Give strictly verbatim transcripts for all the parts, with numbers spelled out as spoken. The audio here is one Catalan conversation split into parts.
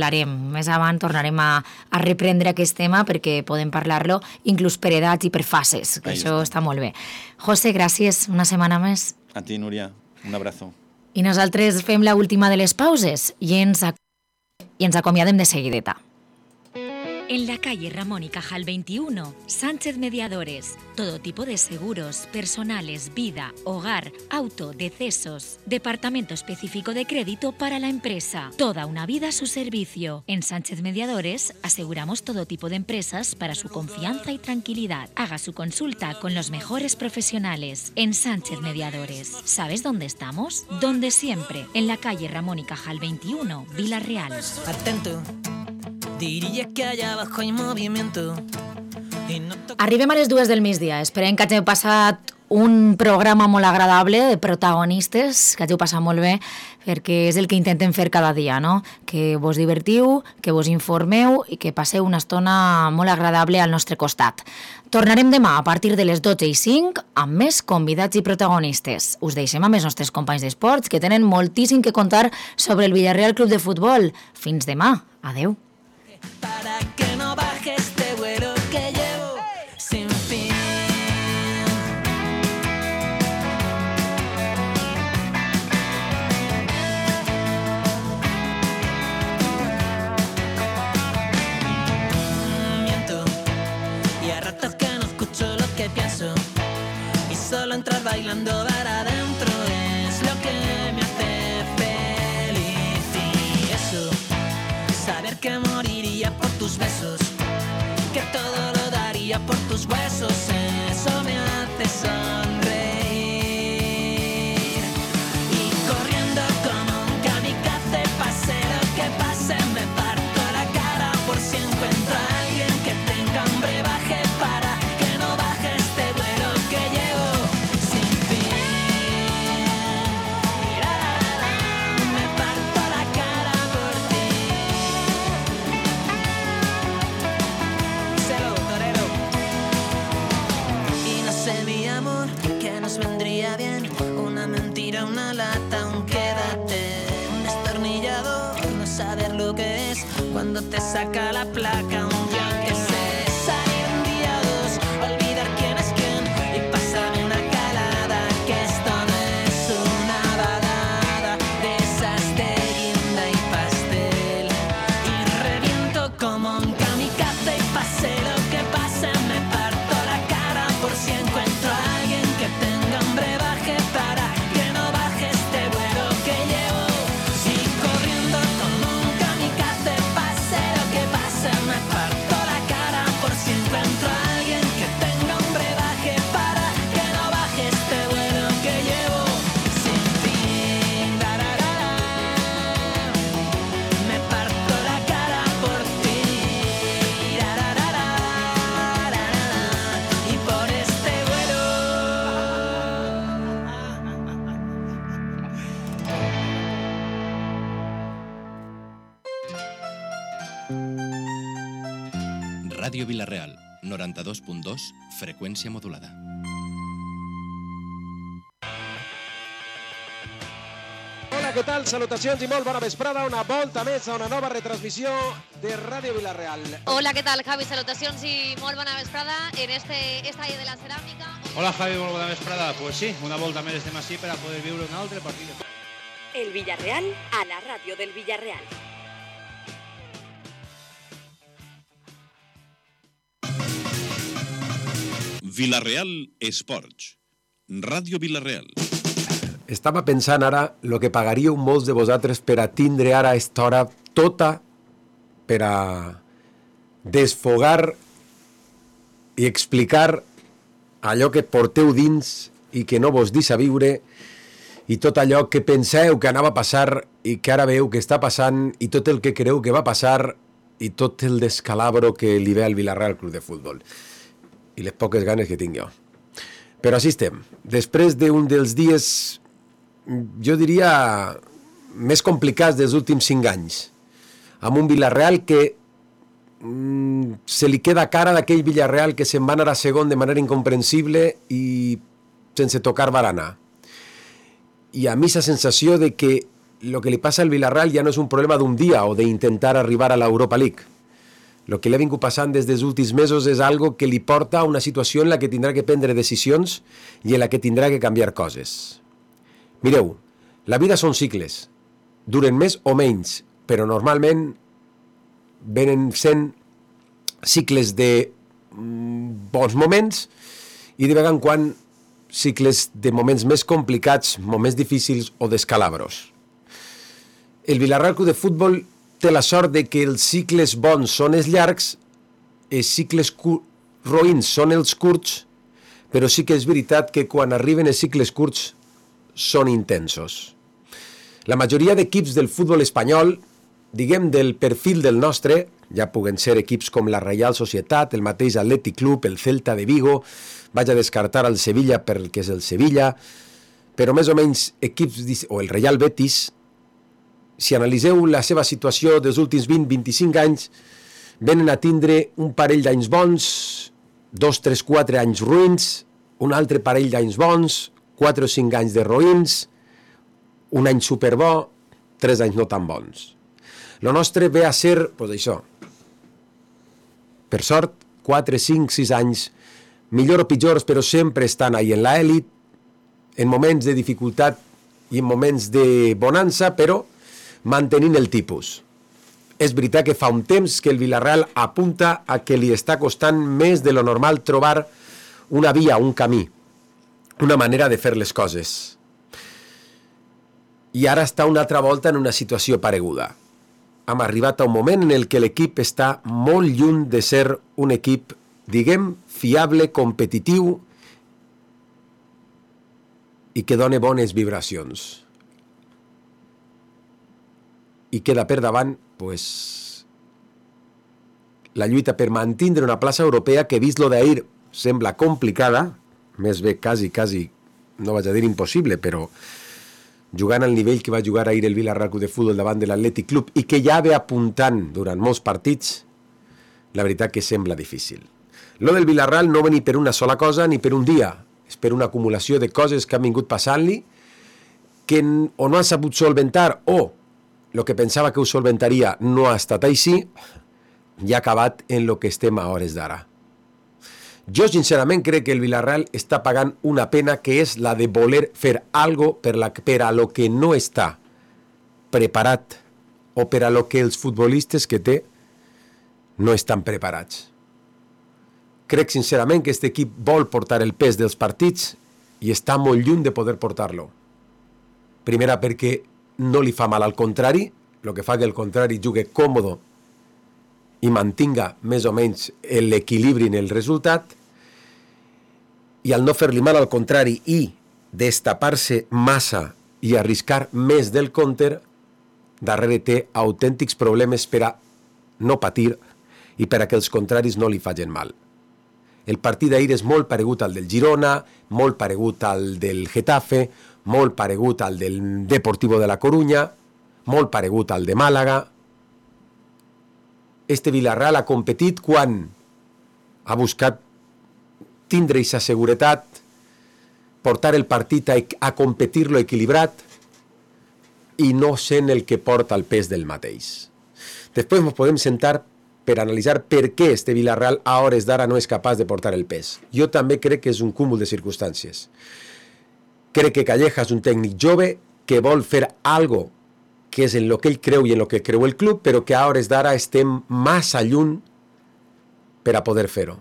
parlarem. Més avant tornarem a, a reprendre aquest tema perquè podem parlar-lo inclús per edats i per fases, que Ahí això està. està molt bé. José, gràcies, una setmana més. A ti, Núria, un abrazo. I nosaltres fem la última de les pauses i ens, ac i ens acomiadem de seguideta. En la calle Ramón y Cajal veintiuno, Sánchez Mediadores. Todo tipo de seguros, personales, vida, hogar, auto, decesos. Departamento específico de crédito para la empresa. Toda una vida a su servicio. En Sánchez Mediadores aseguramos todo tipo de empresas para su confianza y tranquilidad. Haga su consulta con los mejores profesionales. En Sánchez Mediadores. ¿Sabes dónde estamos? Donde siempre. En la calle Ramón y Cajal veintiuno, Vila-real. Atento. Diria que allà abajo hay movimiento. No Arribem a les dues del migdia. Esperem que hàgiu passat un programa molt agradable de protagonistes, que hàgiu passat molt bé, perquè és el que intentem fer cada dia, no? Que vos divertiu, que vos informeu i que passeu una estona molt agradable al nostre costat. Tornarem demà a partir de les dotze i cinc amb més convidats i protagonistes. Us deixem amb els nostres companys d'esports, que tenen moltíssim que contar sobre el Villarreal Club de Futbol. Fins demà. Adeu. Para que no baje este vuelo que llevo sin fin. Miento y a ratos que no escucho lo que pienso y solo entrar bailando para adentro es lo que me hace feliz. Y eso, saber que moriría por tus besos, que todo lo daría por tus huesos, eso me hace sonreír. Y corriendo como un kamikaze, pase lo que pase, me parto la cara por si encuentro a alguien que tenga hambre, baje para que no baje este vuelo que llevo sin fin. La, la, la, me parto la cara por ti. Y no sé, mi amor, que nos vendría bien una mentira, una lata, un quédate, un destornillador, no saber lo que es cuando te saca la placa, un yo que sé, salir un día o dos, olvidar quién es quién y pasarme una calada, que esto no es una balada de esas de guinda y pastel. Y reviento como un kamikaze y pase lo que pase, me parto la cara por si encuentro a alguien que tenga hambre, baje para que no baje este vuelo que llevo. Si corriendo como un kamikaze, pase lo que pase, me parto la cara por si encuentro a alguien que tenga hambre, baje para que no baje este vuelo que llevo sin fin. La, la, la, la. Me parto la cara por ti. La, la, la, la, la, la, la. Y por este vuelo. Ràdio Vila-real, noranta-dos punt dos, freqüència modulada. Hola, què tal? Salutacions i molt bona vesprada. Una volta més a una nova retransmissió de Ràdio Vila-real. Hola, ¿qué tal, Javi? Salutacions i molt bona vesprada en este estadio de la Ceràmica. Hola, Javi, molt bona vesprada. Pues sí, una volta més estem així per a poder viure un altre partit. El Villarreal a la radio del Villarreal. Vila-real Esports. Ràdio Vila-real. Estava pensant ara el que pagaríeu molts de vosaltres per a tindre ara a esta hora tota per a desfogar i explicar allò que porteu dins i que no vos deixa viure i tot allò que penseu que anava a passar i que ara veieu que està passant i tot el que creu que va passar i tot el descalabro que li ve al Villarreal Club de Futbol i les poques ganes que tinc jo. Però així estem. Després d'un dels dies, jo diria, més complicats dels últims cinc anys, amb un Villarreal que mm, se li queda cara d'aquell Villarreal que se'n va anar a segon de manera incomprensible i sense tocar barana. I a mi la sensació de que lo que li passa al Villarreal ja no és un problema d'un dia o d'intentar arribar a l'Europa League. El que li ha vingut passant des dels últims mesos és algo que li porta a una situació en la que tindrà que prendre decisions i en la que tindrà que canviar coses. Mireu, la vida són cicles, duren més o menys, però normalment venen sent cicles de bons moments i de vegades en quan cicles de moments més complicats, moments difícils o d'escalabros. El Villarreal Club de Futbol té la sort de que els cicles bons són els llargs, els cicles roïns són els curts, però sí que és veritat que quan arriben els cicles curts són intensos. La majoria d'equips del futbol espanyol, diguem del perfil del nostre, ja puguen ser equips com la Reial Societat, el mateix Atlètic Club, el Celta de Vigo, vaig a descartar el Sevilla perquè és el Sevilla, però més o menys equips, o el Real Betis, si analiseu la seva situació dels últims vint a vint-i-cinc anys, venen a tindre un parell d'anys bons, dos, tres, quatre anys ruïns, un altre parell d'anys bons, quatre o cinc anys de roïns, un any superbo, tres anys no tan bons. Lo nostre ve a ser, doncs això, per sort, quatre, cinc, sis anys, millor o pitjors, però sempre estan ahí en l'elit, en moments de dificultat i en moments de bonança, però mantenint el tipus. És veritat que fa un temps que el Villarreal apunta a que li està costant més de lo normal trobar una via, un camí, una manera de fer les coses. I ara està una altra volta en una situació pareguda. Hem arribat a un moment en el que l'equip està molt lluny de ser un equip, diguem, fiable, competitiu i que doni bones vibracions. I queda per davant pues, la lluita per mantenir una plaça europea que, vist lo d'ahir, sembla complicada, més bé quasi, quasi, no vaig a dir impossible, però jugant al nivell que va jugar ahir el Villarreal Club de Futbol davant de l'Atlètic Club i que ja ve apuntant durant molts partits, la veritat que sembla difícil. Lo del Villarreal no ve ni per una sola cosa ni per un dia, és per una acumulació de coses que han vingut passant-li que o no han sabut solventar o el que pensava que ho solventaria no ha estat així i ha acabat en el que estem a hores d'ara. Jo sincerament crec que el Villarreal està pagant una pena que és la de voler fer algo per, la, per a lo que no està preparat o per a lo que els futbolistes que té no estan preparats. Crec sincerament que aquest equip vol portar el pes dels partits i està molt lluny de poder portar-lo. Primera perquè no li fa mal al contrari, el que fa que el contrari jugui còmode i mantinga més o menys l'equilibri en el resultat, i al no fer-li mal al contrari i destapar-se massa i arriscar més del compte, darrere té autèntics problemes per a no patir i per a que els contraris no li facin mal. El partit d'ahir és molt paregut al del Girona, molt paregut al del Getafe, molt paregut al del Deportivo de la Coruña, molt paregut al de Màlaga. Este Villarreal ha competit quan ha buscat tindre aquesta seguretat, portar el partit a, a competir-lo equilibrat i no sent el que porta el pes del mateix. Després ens podem sentar per analitzar per què este Villarreal a hores d'ara no és capaç de portar el pes. Jo també crec que és un cúmul de circumstàncies. Crec que Calleja és un tècnic jove que vol fer algo que és en lo que ell creu i en lo que creu el club, però que a hores d'ara estem massa lluny per a poder fer-ho.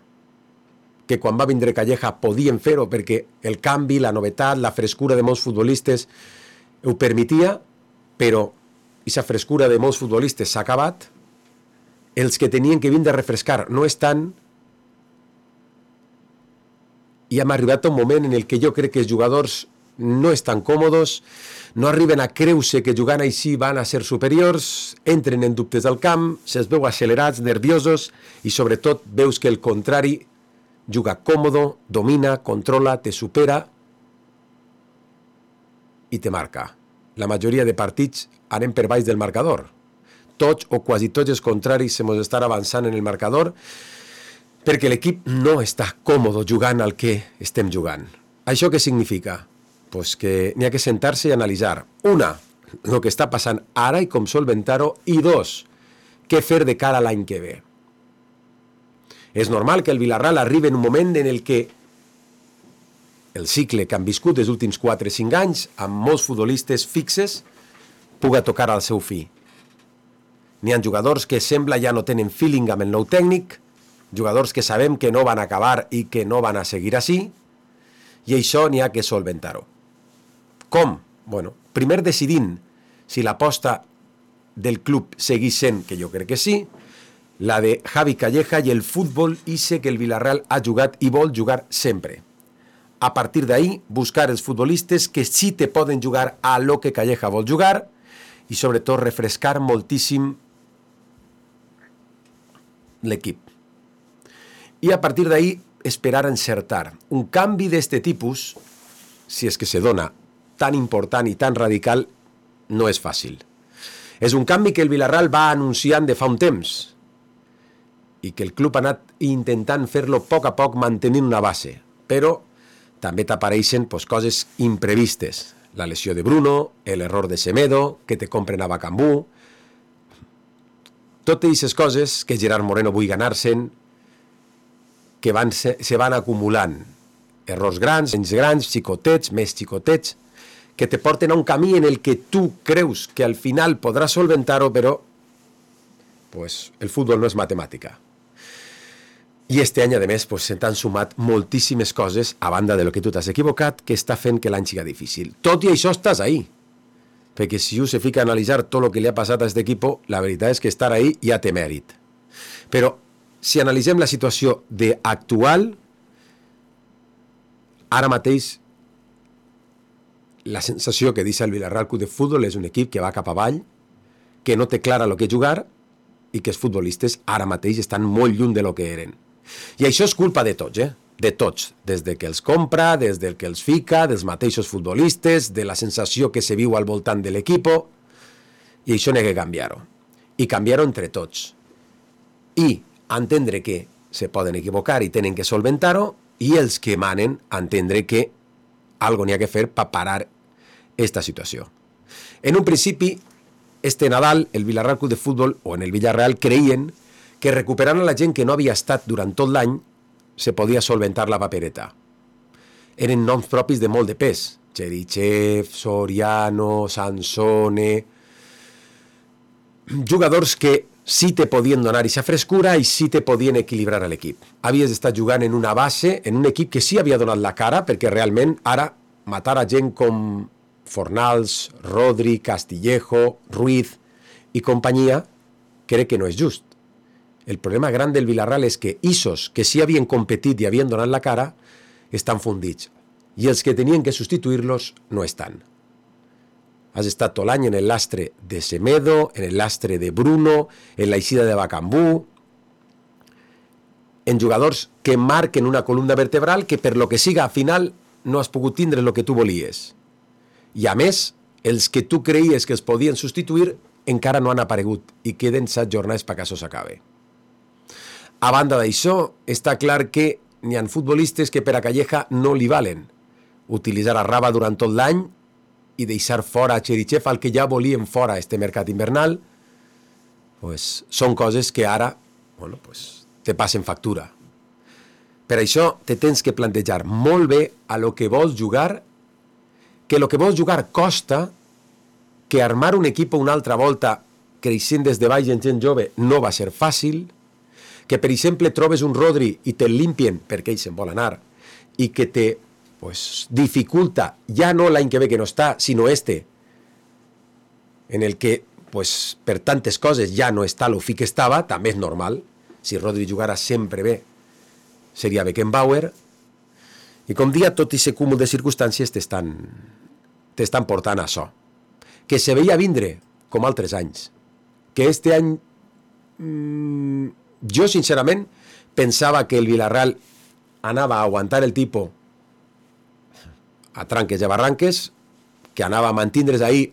Que quan va vindre Calleja podien fer-ho perquè el canvi, la novetat, la frescura de molts futbolistes ho permetia, però aquesta frescura de molts futbolistes s'ha acabat. Els que tenien que vindre a refrescar no estan i hem arribat a un moment en el que jo crec que els jugadors no estan còmodes, no arriben a creure que jugant així van a ser superiors, entren en dubtes al camp, se'ls veu accelerats, nerviosos i sobretot veus que el contrari juga còmodo, domina, controla, te supera i te marca. La majoria de partits anem per baix del marcador. Tots o quasi tots els contraris se mos estan avançant en el marcador perquè l'equip no està còmode jugant al que estem jugant. Això què significa? Pues que n'hi ha que sentar-se i analitzar. Una, el que està passant ara i com solventar-ho, i dos, què fer de cara a l'any que ve. És normal que el Villarreal arribi en un moment en el que el cicle que han viscut els últims quatre o cinc anys, amb molts futbolistes fixes, puga tocar al seu fi. N'hi ha jugadors que sembla ja no tenen feeling amb el nou tècnic, jugadors que sabem que no van acabar i que no van a seguir així, i això n'hi ha que solventar-ho. Com? Bueno, primer decidint si l'aposta del club segueix sent, que jo crec que sí, la de Javi Calleja i el futbol ise que el Villarreal ha jugat i vol jugar sempre. A partir d'ahí, buscar els futbolistes que sí te poden jugar a lo que Calleja vol jugar i sobretot refrescar moltíssim l'equip. I a partir d'ahí esperar encertar. Un canvi d'este tipus, si és que se dona tan important i tan radical, no és fàcil. És un canvi que el Villarreal va anunciant de fa un temps i que el club ha anat intentant fer-lo a poc a poc mantenint una base, però també t'apareixen pues, coses imprevistes. La lesió de Bruno, l'error de Semedo, que te compren a Bacambú. Totes aquestes coses que Gerard Moreno vull ganar-se'n, que van se, se van acumulant. Errors grans, menys grans, xicotets, més xicotets, que te porten a un camí en el que tu creus que al final podràs solventar-ho, però pues, el futbol no és matemàtica. I este any, a més, pues, se t'han sumat moltíssimes coses, a banda de lo que tu t'has equivocat, que està fent que l'any siga difícil. Tot i això estàs ahí. Perquè si un se fica a analitzar tot el que li ha passat a aquest equip, la veritat és que estar ahí ja té mèrit. Però si analitzem la situació d'actual, ara mateix la sensació que deixa el Villarreal Club de Futbol és un equip que va cap avall, que no té clara el que jugar i que els futbolistes ara mateix estan molt lluny de lo que eren. I això és culpa de tots, eh? De tots, des de que els compra, des del que els fica, dels mateixos futbolistes, de la sensació que se viu al voltant de l'equip, i això n'hi ha que canviar-ho. I canviar-ho entre tots. I entendre que se poden equivocar i tenen que solventar-ho, i els que manen entendre que algo n'hi ha que fer per parar esta situació. En un principi, este Nadal, el Villarreal Club de Futbol, o en el Villarreal, creien que recuperant a la gent que no havia estat durant tot l'any se podia solventar la papereta. Eren noms propis de molt de pes. Cherichev, Soriano, Sansone... Jugadors que sí te podien donar aquesta frescura i sí te podien equilibrar a l'equip. Havies d'estar jugant en una base, en un equip que sí havia donat la cara, perquè realment ara matar a gent com Fornals, Rodri, Castillejo, Ruiz i companyia, crec que no és just. El problema gran del Villarreal és que isos que sí havien competit i havien donat la cara estan fundits. I els que tenien que substituir-los no estan. Has estat tot l'any en el lastre de Semedo, en el lastre de Bruno, en la eixida de Bacambú, en jugadors que marquen una columna vertebral que per lo que siga al final no has pogut tindre el que tu volies. I a més, els que tu creies que els podien substituir encara no han aparegut i queden set jornades perquè això s'acabe. A banda d'això, està clar que n'hi ha futbolistes que per a Calleja no li valen. Utilitzar a Raba durant tot l'any i deixar fora a Cherichev, al que ja volien fora este mercat invernal, pues, són coses que ara bueno, pues, te passen factura. Per això te tens que plantejar molt bé a lo que vols jugar, que lo que vols jugar costa, que armar un equip una altra volta creixent des de baix en gent jove no va ser fàcil, que per exemple trobes un Rodri i te'l limpien perquè ell se'n vol anar i que te pues, dificulta ja no l'any que ve que no està, sinó este en el que pues, per tantes coses ja no està lo fi que estava, també és normal. Si Rodri jugara sempre bé seria Beckenbauer, i com dia tot aquest cúmul de circumstàncies t'estan t'estan portant a això, que se veia vindre com altres anys, que este any mmm, jo, sincerament, pensava que el Villarreal anava a aguantar el tipus a tranques i a barranques, que anava a mantindre's ahí,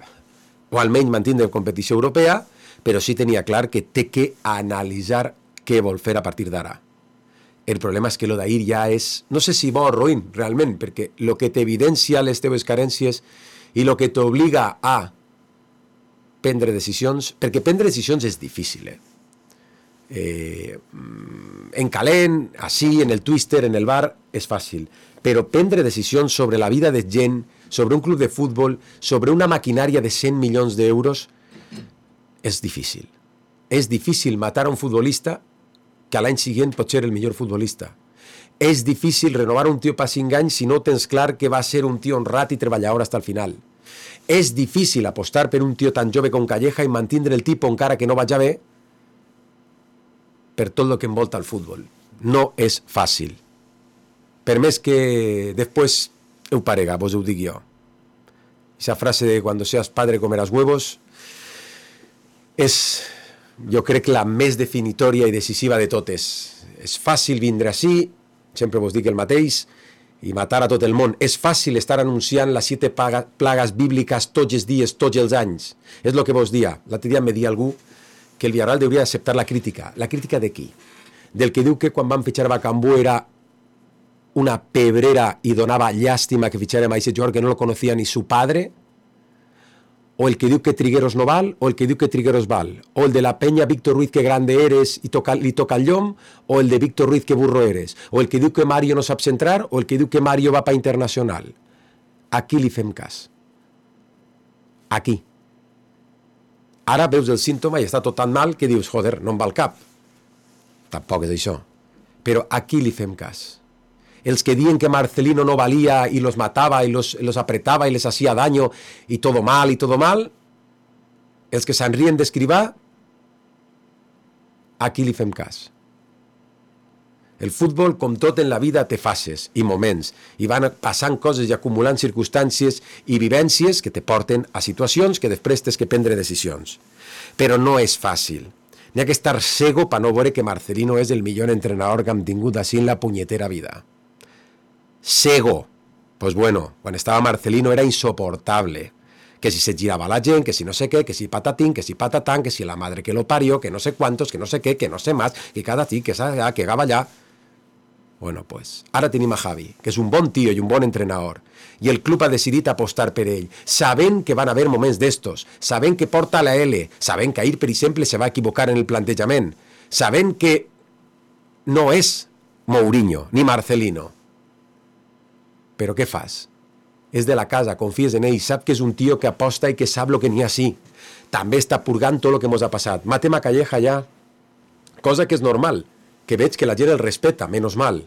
o almenys mantindre competició europea, però sí tenia clar que té que analitzar què vol fer a partir d'ara. El problema és que lo d'ahir ja és, no sé si bo o ruïn, realment, perquè lo que t'evidencia les teves carències i lo que t'obliga a prendre decisions, perquè prendre decisions és difícil, eh? Eh, en calent, així, en el twister, en el bar, és fàcil, però prendre decisions sobre la vida de gent, sobre un club de futbol, sobre una maquinària de cent milions d'euros, és difícil. És difícil matar a un futbolista que a l'any següent pot ser el millor futbolista. És difícil renovar un tio per cinc anys si no tens clar que va ser un tio honrat i treballador fins al final. És difícil apostar per un tio tan jove com Calleja i mantindre el tipus encara que no vaja bé per tot el que envolta el futbol. No és fàcil. Per més que després ho parega, vos ho dic jo. Esa frase de cuando seas padre comerás huevos és, jo crec, la més definitòria i decisiva de totes. És fàcil vindre així, sempre vos dic el mateix, i matar a tot el món. És fàcil estar anunciant les siete plagues bíbliques tots els dies, tots els anys. És el que vos dia. L'altre dia me dia algú que el Villarreal hauria d'acceptar la crítica. La crítica de qui? Del que diu que quan van fitxar Bacambú era una pebrera i donava llàstima que fitxarem a aquest jugador que no lo conocía ni su padre, o el que diu que Trigueros no val, o el que diu que Trigueros val, o el de la Peña Víctor Ruiz que grande eres i toca, li toca el llom, o el de Víctor Ruiz que burro eres, o el que diu que Mario no sap centrar, o el que diu que Mario va pa internacional. Aquí li fem cas. Aquí. Ara veus el símptoma i està tot tan mal que dius, joder, no em va al cap. Tampoc és això. Però aquí li fem cas. Els que diuen que Marcelino no valía y los mataba y los, los apretaba y les hacía daño y todo mal y todo mal, els que se'n rien d'escrivar, aquí li fem cas. El futbol, com tot en la vida, té fases i moments, i van passant coses i acumulant circumstàncies i vivències que te porten a situacions que després tens que prendre decisions. Però no és fàcil. N'hi ha que estar cego per no veure que Marcelino és el millor entrenador que hem tingut així en la punyetera vida. Cego. Pues bueno, quan estava Marcelino era insoportable. Que si se giraba la gent, que si no sé què, que si patatín, que si patatán, que si la madre que lo parió, que no sé cuántos, que no sé què, que no sé más, que cada aquí, que allà, que gaba allà. Bueno, pues, ara tenim a Javi, que és un bon tio i un bon entrenador. I el club ha decidit apostar per ell, sabent que van haver moments d'estos, sabent que porta la L, sabent que ahir, per exemple, se va equivocar en el plantejament, sabent que no és Mourinho ni Marcelino. Però què fas? És de la casa, confies en ell, sap que és un tio que aposta i que sap el que n'hi ha sí. També està purgant tot el que mos ha passat. Matem a Calleja ja, cosa que és normal, que veig que la gent el respeta, menos mal.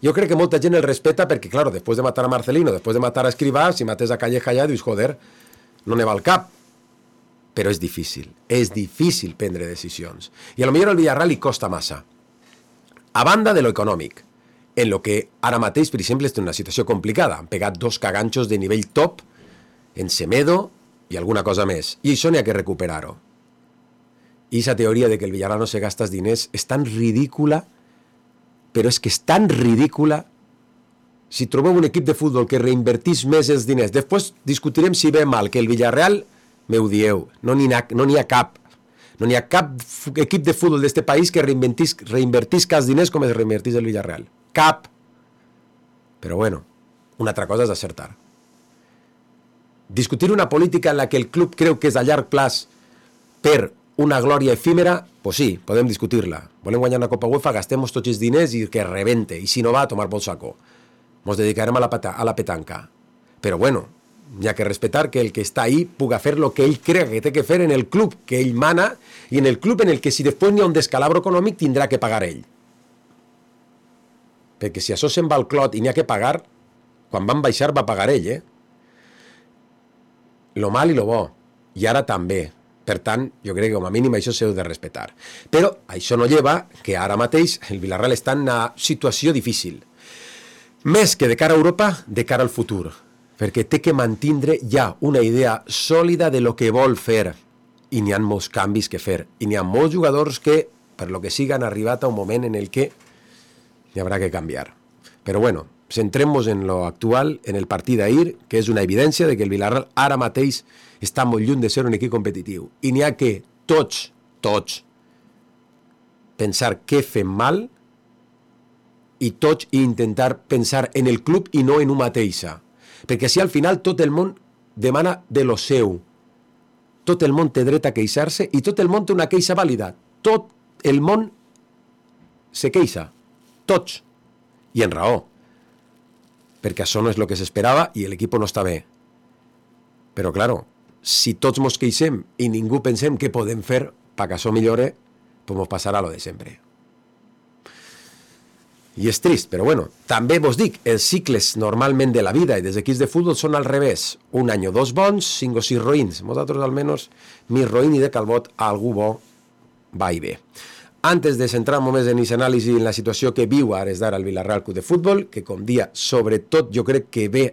Jo crec que molta gent el respeta perquè, claro, després de matar a Marcelino, després de matar a Escrivá, si mates a Calleja ja, dius, joder, no ne va al cap. Però és difícil, és difícil prendre decisions. I a lo millor al Villarreal li costa massa. A banda de lo econòmic, en lo que ara mateix, per exemple, és una situació complicada. Han pegat dos caganxos de nivell top en Semedo i alguna cosa més. I això n'hi ha que recuperar-ho. I aquesta teoria de que el Villarreal no se gasta els diners és tan ridícula, però és que és tan ridícula. Si trobeu un equip de futbol que reinvertís més els diners, després discutirem si ve mal, que el Villarreal, me ho dieu, no n'hi ha, no n'hi ha cap. No n'hi ha cap equip de futbol d'este país que reinvertisca els diners com es reinvertís el Villarreal. Cap. Però bueno, una altra cosa és acertar. Discutir una política en la que el club creu que és a llarg plaç per una glòria efímera, pues sí, podem discutir-la. Volem guanyar una Copa UEFA, gastem-nos tots els diners i que rebente. I si no va, a tomar por saco. Ens dedicarem a la, pata, a la petanca. Però bueno, hi ha que respetar que el que està ahí puga fer el que ell creu que té que fer en el club que ell mana i en el club en el que si després n'hi ha un descalabro econòmic tindrà que pagar ell. Perquè si això se'n va al clot i n'hi ha que pagar, quan van baixar va pagar ell, eh? Lo mal i lo bo. I ara també. Per tant, jo crec que com a mínim això s'heu de respetar. Però això no lleva que ara mateix el Villarreal està en una situació difícil. Més que de cara a Europa, de cara al futur. Perquè té que mantindre ja una idea sòlida de lo que vol fer. I n'hi ha molts canvis que fer. I n'hi ha molts jugadors que, per lo que sigui, han arribat a un moment en el que hi haurà que canviar. Però bueno, centrem-nos en lo actual, en el partit d'ahir, que és una evidència de que el Villarreal ara mateix està molt lluny de ser un equip competitiu. I n'hi ha que tots, tots, pensar què fem mal i tots intentar pensar en el club i no en un mateixa. Perquè si al final tot el món demana de lo seu. tot el món té dret a queixar-se i tot el món té una queixa vàlida. Tot el món se queixa. Tots. I en raó. Perquè això no és el que s'esperava i l'equip no està bé. Però, claro, si tots mos queixem i ningú pensem què podem fer perquè això millore, pues mos passarà lo de sempre. I és trist, però bueno, també vos dic, els cicles normalment de la vida i dels equips de futbol són al revés. Un any o dos bons, cinc o sis roïns. Nosaltres, almenys, mi roïn i de Calbot, algú bo va i bé. Antes de centrar-nos més en aquest anàlisi en la situació que viu ara d'ara el Villarreal Club de Futbol, que com dia, sobretot jo crec que ve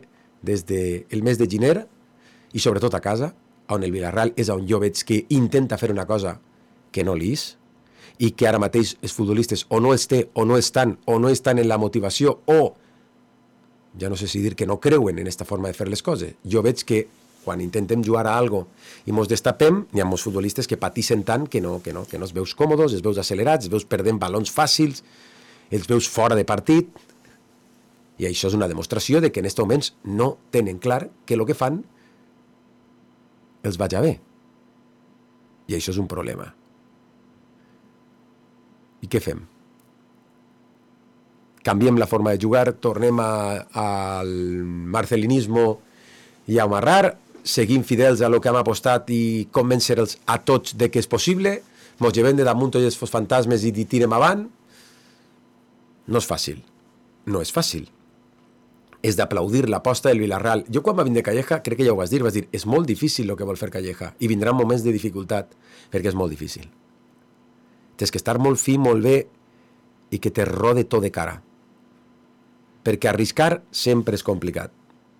des del mes de gener, i sobretot a casa, on el Villarreal és on jo veig que intenta fer una cosa que no li és, i que ara mateix els futbolistes o no els té, o no estan, o no estan en la motivació, o, ja no sé si dir que no creuen en aquesta forma de fer les coses. Jo veig que quan intentem jugar a algo i mos destapem, hi ha molts futbolistes que patixen tant que no, que no, que no els veus còmodes, els veus accelerats, els veus perdent balons fàcils, els veus fora de partit, i això és una demostració de que en aquests moments no tenen clar que el que fan els vaig bé. I això és un problema. I què fem? Canviem la forma de jugar, tornem al marcelinismo i a amarrar, seguim fidels a lo que hem apostat i convèncer-los a tots de que és possible, mos llevem de damunt tots els fantasmes i tirem avant. No és fàcil. No és fàcil. És d'aplaudir l'aposta del Villarreal. Jo quan va vindre Calleja, crec que ja ho vas dir, vas dir, és molt difícil el que vol fer Calleja i vindran moments de dificultat, perquè és molt difícil. Tens que estar molt fi, molt bé i que te rode tot de cara. Perquè arriscar sempre és complicat.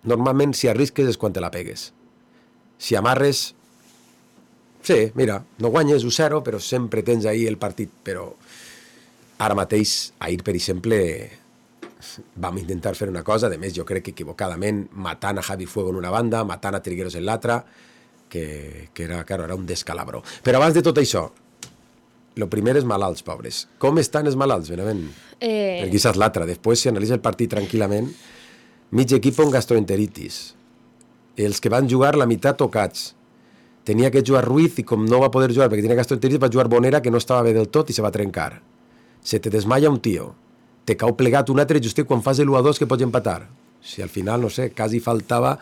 Normalment, si arrisques és quan te la pegues. Si amarres, sí, mira, no guanyes u zero, però sempre tens ahí el partit. Però ara mateix, ahir, per exemple, vam intentar fer una cosa, de més jo crec que equivocadament, matant a Javi Fuego en una banda, matant a Trigueros en l'altra, que, que era, claro, era un descalabro. Però abans de tot això, el primer és malalts, pobres. Com estan els malalts, Benavent? Eh... Perquè és l'altre. Després, si analitza el partit tranquil·lament, mig equip amb gastroenteritis. Els que van jugar la meitat tocats. Tenia que jugar Ruiz i com no va poder jugar perquè tenia gastroenteritis, va jugar Bonera, que no estava bé del tot i se va trencar. Se te desmaia un tio. Te cau plegat un altre justet quan fas l'u a dos que pots empatar. Si al final, no sé, quasi faltava...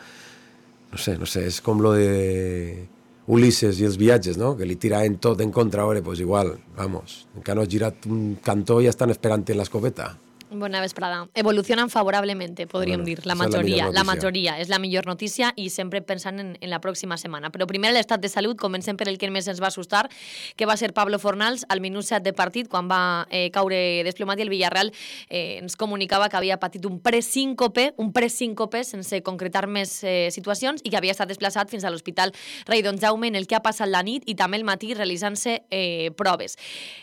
No sé, no sé, és com lo de... Ulises i els viatges, no? Que li tiraven tot en contra, ara, pues igual, vamos, encara no has girat un cantó i ja estan esperant en l'escopeta. Bona vesprada. Evolucionan favorablemente, podríem bueno, dir, la majoria. La, la majoria és la millor notícia i sempre pensant en, en la pròxima setmana. Però primer l'estat de salut, comencem per el que més ens va assustar, que va ser Pablo Fornals al minut set de partit, quan va eh, caure desplomat i el Villarreal eh, ens comunicava que havia patit un presíncope, un presíncope sense concretar més eh, situacions i que havia estat desplaçat fins a l'Hospital Rei Don Jaume, en el que ha passat la nit i també el matí realitzant-se eh, proves.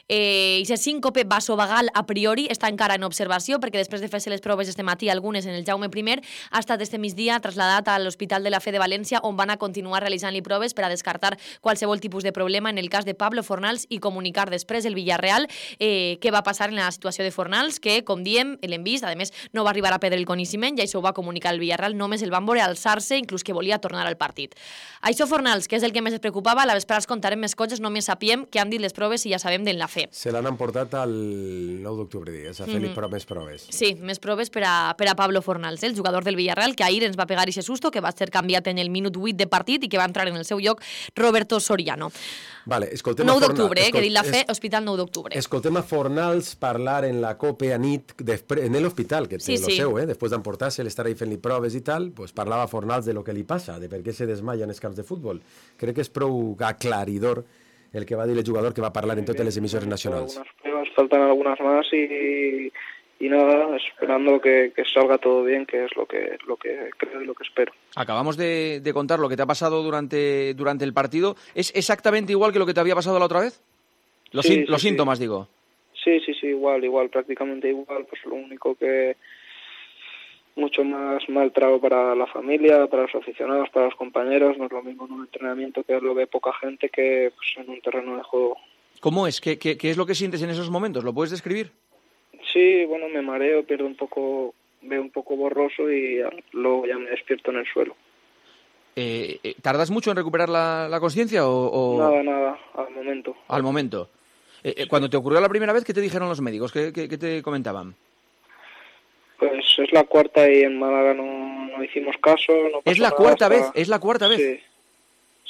Eh, I aquest síncope vasovagal a priori està encara en observació perquè després de fer-se les proves este matí, algunes en el Jaume I, ha estat este migdia trasladat a l'Hospital de la Fe de València, on van a continuar realitzant-li proves per a descartar qualsevol tipus de problema en el cas de Pablo Fornals i comunicar després el Villarreal eh, què va passar en la situació de Fornals, que, com diem, l'hem vist, a més, no va arribar a perdre el coneixement, i això ho va comunicar el Villarreal, només el van veure alçar-se, inclús que volia tornar al partit. Això Fornals, que és el que més es preocupava, a la vesprada es contarem més coses, només sapiem que han dit les proves i ja sabem d'en la Fe. Se l'han emportat el nou d'octubre, digues, a fer-li mm-hmm. més proves. Sí, més proves per a, per a Pablo Fornals, el jugador del Villarreal, que ahir ens va pegar aquest susto, que va ser canviat en el minut vuit de partit i que va entrar en el seu lloc Roberto Soriano. Vale, escoltem nou d'octubre, eh, que dit la Fe, es... Hospital nou d'octubre. Escoltem a Fornals parlar en la Copa a nit, després, en l'hospital, que té sí, lo sí. seu, eh, després d'emportar-se, l'estar ahí fent-li proves i tal, pues parlava Fornals de lo que li passa, de per què se desmaia en els camps de futbol. Crec que és prou aclaridor el que va dir el jugador que va parlar en totes les emissores nacionals. Algunas pruebas, faltan algunas más y... y nada, esperando que, que salga todo bien, que es lo que, lo que creo y lo que espero. Acabamos de, de contar lo que te ha pasado durante, durante el partido. ¿Es exactamente igual que lo que te había pasado la otra vez? Los, sí, sí, los síntomas, sí. digo. Sí, sí, sí, igual, igual, prácticamente igual. Pues lo único que mucho más mal trago para la familia, para los aficionados, para los compañeros. No es lo mismo en un entrenamiento que lo ve poca gente que pues, en un terreno de juego. ¿Cómo es? ¿Qué, qué, qué es lo que sientes en esos momentos? ¿Lo puedes describir? Sí, bueno, me mareo, pierdo un poco, veo un poco borroso y luego ya me despierto en el suelo. Eh, eh, ¿Tardas mucho en recuperar la, la conciencia o, o...? Nada, nada, al momento. Al momento. Eh, eh, cuando te ocurrió la primera vez, ¿qué te dijeron los médicos? ¿Qué, qué, qué te comentaban? Pues es la cuarta y en Málaga no, no hicimos caso. No ¿Es la cuarta hasta... vez? ¿Es la cuarta vez? Sí,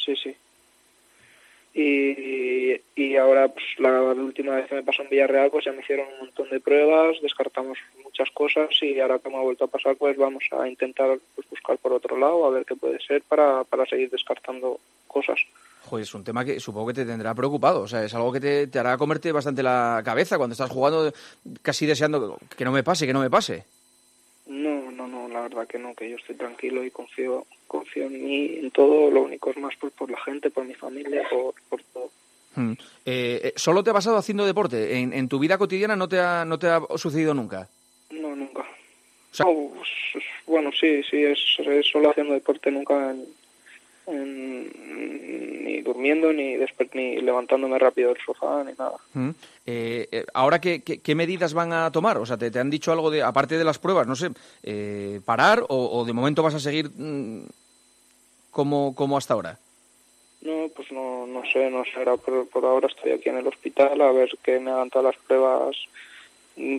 sí, sí. Y, y ahora, pues la, la última vez que me pasó en Villarreal, pues ya me hicieron un montón de pruebas, descartamos muchas cosas y ahora que me ha vuelto a pasar, pues vamos a intentar pues, buscar por otro lado, a ver qué puede ser para, para seguir descartando cosas. Joder, es un tema que supongo que te tendrá preocupado, o sea, es algo que te, te hará comerte bastante la cabeza cuando estás jugando casi deseando que no me pase, que no me pase. No, no, no, la verdad que no, que yo estoy tranquilo y confío confío en mí, en todo, lo único es más por, por la gente, por mi familia, por, por todo. Hmm. Eh, ¿Solo te ha pasado haciendo deporte? ¿En, en tu vida cotidiana no te ha, no te ha sucedido nunca? No, nunca. O sea... no, pues, bueno, sí, sí, es, es solo haciendo deporte, nunca en, en, ni durmiendo, ni, desper, ni levantándome rápido del sofá, ni nada. Hmm. Eh, eh, ¿Ahora qué, qué, qué medidas van a tomar? O sea, ¿te, te han dicho algo de, aparte de las pruebas, no sé, eh, parar o, o de momento vas a seguir mmm, como, como hasta ahora? No, pues no, no sé, no sé, por, por ahora estoy aquí en el hospital a ver que me hagan todas las pruebas,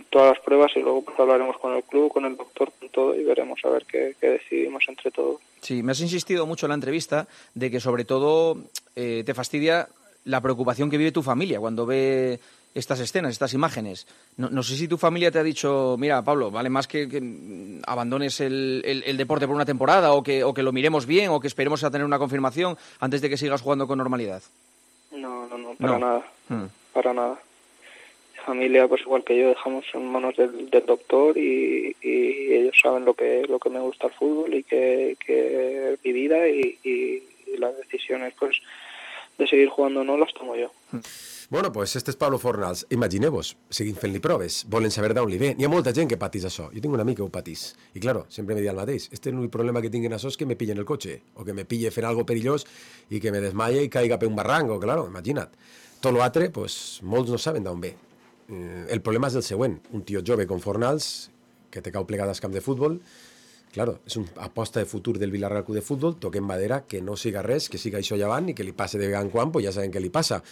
todas las pruebas y luego pues hablaremos con el club, con el doctor, con todo y veremos a ver qué, qué decidimos entre todos. Sí, me has insistido mucho en la entrevista de que sobre todo eh, te fastidia la preocupación que vive tu familia cuando ve estas escenas, estas imágenes. No, no sé si tu familia te ha dicho, mira, Pablo, vale más que, que abandones el, el, el deporte por una temporada o que, o que lo miremos bien o que esperemos a tener una confirmación antes de que sigas jugando con normalidad. No, no, no, para no. nada, hmm. para nada. Mi familia, pues igual que yo, dejamos en manos del, del doctor y, y ellos saben lo que lo que me gusta el fútbol y que, que es mi vida y, y, y las decisiones, pues, de seguir jugando o no las tomo yo. Bueno, pues este és Pablo Fornals. Imagineu-vos, seguint fent-li proves, volen saber d'on li ve. N'hi ha molta gent que patís això. Jo tinc un amic que ho patís. I, claro, sempre me diu el mateix. Este és l'únic problema que tinc en això és que me pillen el cotxe, o que me pille fent algo perillós i que me desmaie i caiga per un barranco, claro, imagina't. Tot l'altre, pues, molts no saben d'on ve. Eh, el problema és el següent. Un tio jove com Fornals, que te cau plegat al camp de futbol, claro, és una aposta de futur del Villarreal Club de Futbol, toquem madera, que no siga res, que siga això llevant i que li passe de gran quan, pues ja sabem què li passa.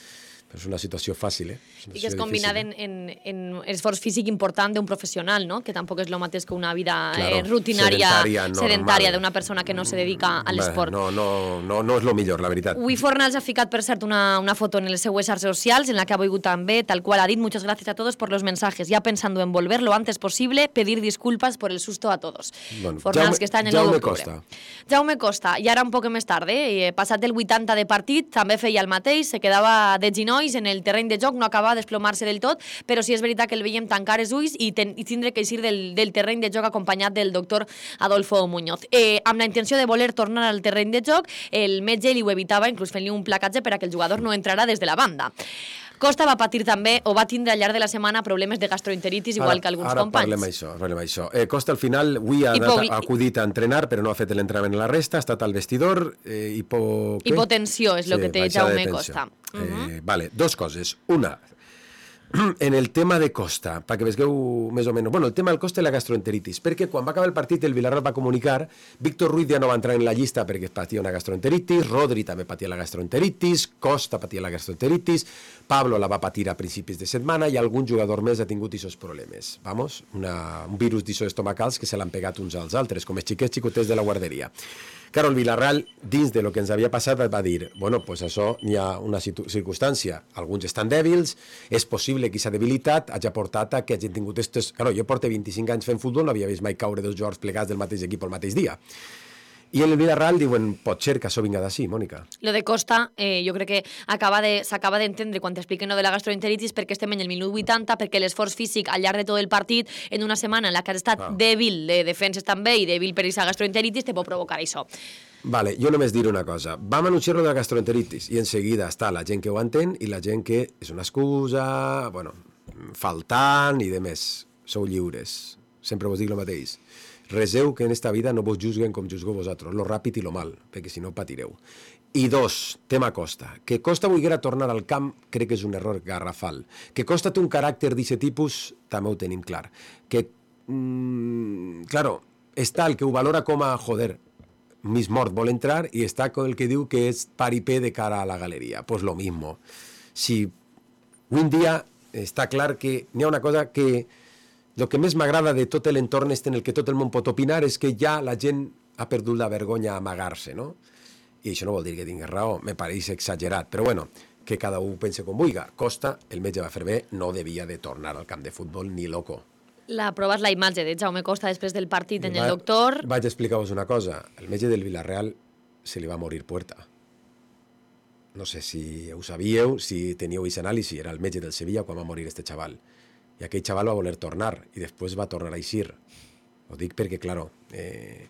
Però és una situació fàcil, eh? I que és combinada en, en, en esforç físic important d'un professional, no? Que tampoc és el mateix que una vida claro, eh, rutinària, sedentària, sedentària d'una persona que no se dedica a l'esport. No, no, no, no és el millor, la veritat. Avui Fornals ha ficat, per cert, una, una foto en les seues xarxes socials en la que ha volgut també, tal qual ha dit, muchas gracias a todos por los mensajes, ya pensando en volver lo antes posible, pedir disculpas por el susto a todos. Bueno, Fornals, Jaume, que està en el Jaume nou d'octubre. Costa. Jaume Costa, i ara un poc més tard, eh? Passat el vuitanta de partit, també feia el mateix, se quedava de ginolls en el terreny de joc, no acaba de desplomar-se del tot, però sí és veritat que el veiem tancar els ulls i, ten, i tindre que eixir del, del terreny de joc acompanyat del doctor Adolfo Muñoz. Eh, amb la intenció de voler tornar al terreny de joc, el metge li ho evitava, inclús fent-li un placatge per a que el jugador no entrara des de la banda. Costa va patir també, o va tindre al llarg de la setmana, problemes de gastroenteritis, igual ara, que alguns ara companys. Ara parlem això, parlem això. Eh, Costa al final, avui ha, anat, ha acudit a entrenar, però no ha fet l'entrenament a la resta, ha estat al vestidor, eh, hipo... hipotensió és el sí, que té Jaume Costa. Eh, uh-huh. Vale, dos coses. Una, en el tema de Costa, perquè vegueu més o menys... Bueno, el tema del Costa i la gastroenteritis, perquè quan va acabar el partit el Villarreal va comunicar, Víctor Ruiz ja no va entrar en la llista perquè patia una gastroenteritis, Rodri també patia la gastroenteritis, Costa patia la gastroenteritis, Pablo la va patir a principis de setmana i algun jugador més ha tingut aquests problemes. Vamos, una, un virus d'això estomacals que se l'han pegat uns als altres, com els xiquets xicotets de la guarderia. Claro, el Villarreal, dins de lo que ens havia passat, va dir, bueno, pues això n'hi ha una circumstància. Alguns estan dèbils, és possible que aquesta debilitat hagi portat a que hagin tingut estos... Claro, jo porto vint-i-cinc anys fent futbol, no havia vist mai caure dos jugadors plegats del mateix equip el mateix dia. I en el Villarreal diuen, pot ser que això vinga d'ací, Mònica. Lo de Costa, eh, jo crec que acaba de, s'acaba d'entendre quan t'expliquen lo de la gastroenteritis perquè estem en el minut vuitanta, perquè l'esforç físic al llarg de tot el partit, en una setmana en la que has estat ah. dèbil de defenses també i dèbil per aquesta gastroenteritis, te pot provocar això. Vale, jo només diré una cosa. Vam anunciar-lo de la gastroenteritis i en seguida està la gent que ho entén i la gent que és una excusa, bueno, faltant i de més. Sou lliures. Sempre vos dic el mateix. Reseu que en esta vida no vos juzguen com juzgueu vosaltres, lo ràpid i lo mal, perquè si no patireu. I dos, tema Costa. Que Costa volguera tornar al camp crec que és un error garrafal. Que Costa té un caràcter d'aquest tipus també ho tenim clar. Que, mm, claro, està el que ho valora com a, joder, Miss Mort vol entrar y está con el que diu que és paripé de cara a la galeria. Pues lo mismo. Si un dia està clar que n'hi ha una cosa que el que més m'agrada de tot l'entorn este en el que tot el món pot opinar és que ja la gent ha perdut la vergonya a amagar-se, no? I això no vol dir que tingués raó, me pareix exagerat, però bueno, que cada un pense com vulga. Costa, el metge va fer bé, no devia de tornar al camp de futbol ni loco. La prova és la imatge de Jaume Costa després del partit en el doctor. Vaig explicar-vos una cosa. El metge del Villarreal se li va morir Puerta. No sé si ho sabíeu, si teníeu aquest anàlisi. Era el metge del Sevilla quan va morir este xaval. I aquell xaval va voler tornar i després va tornar a eixir. Ho dic perquè, claro, eh,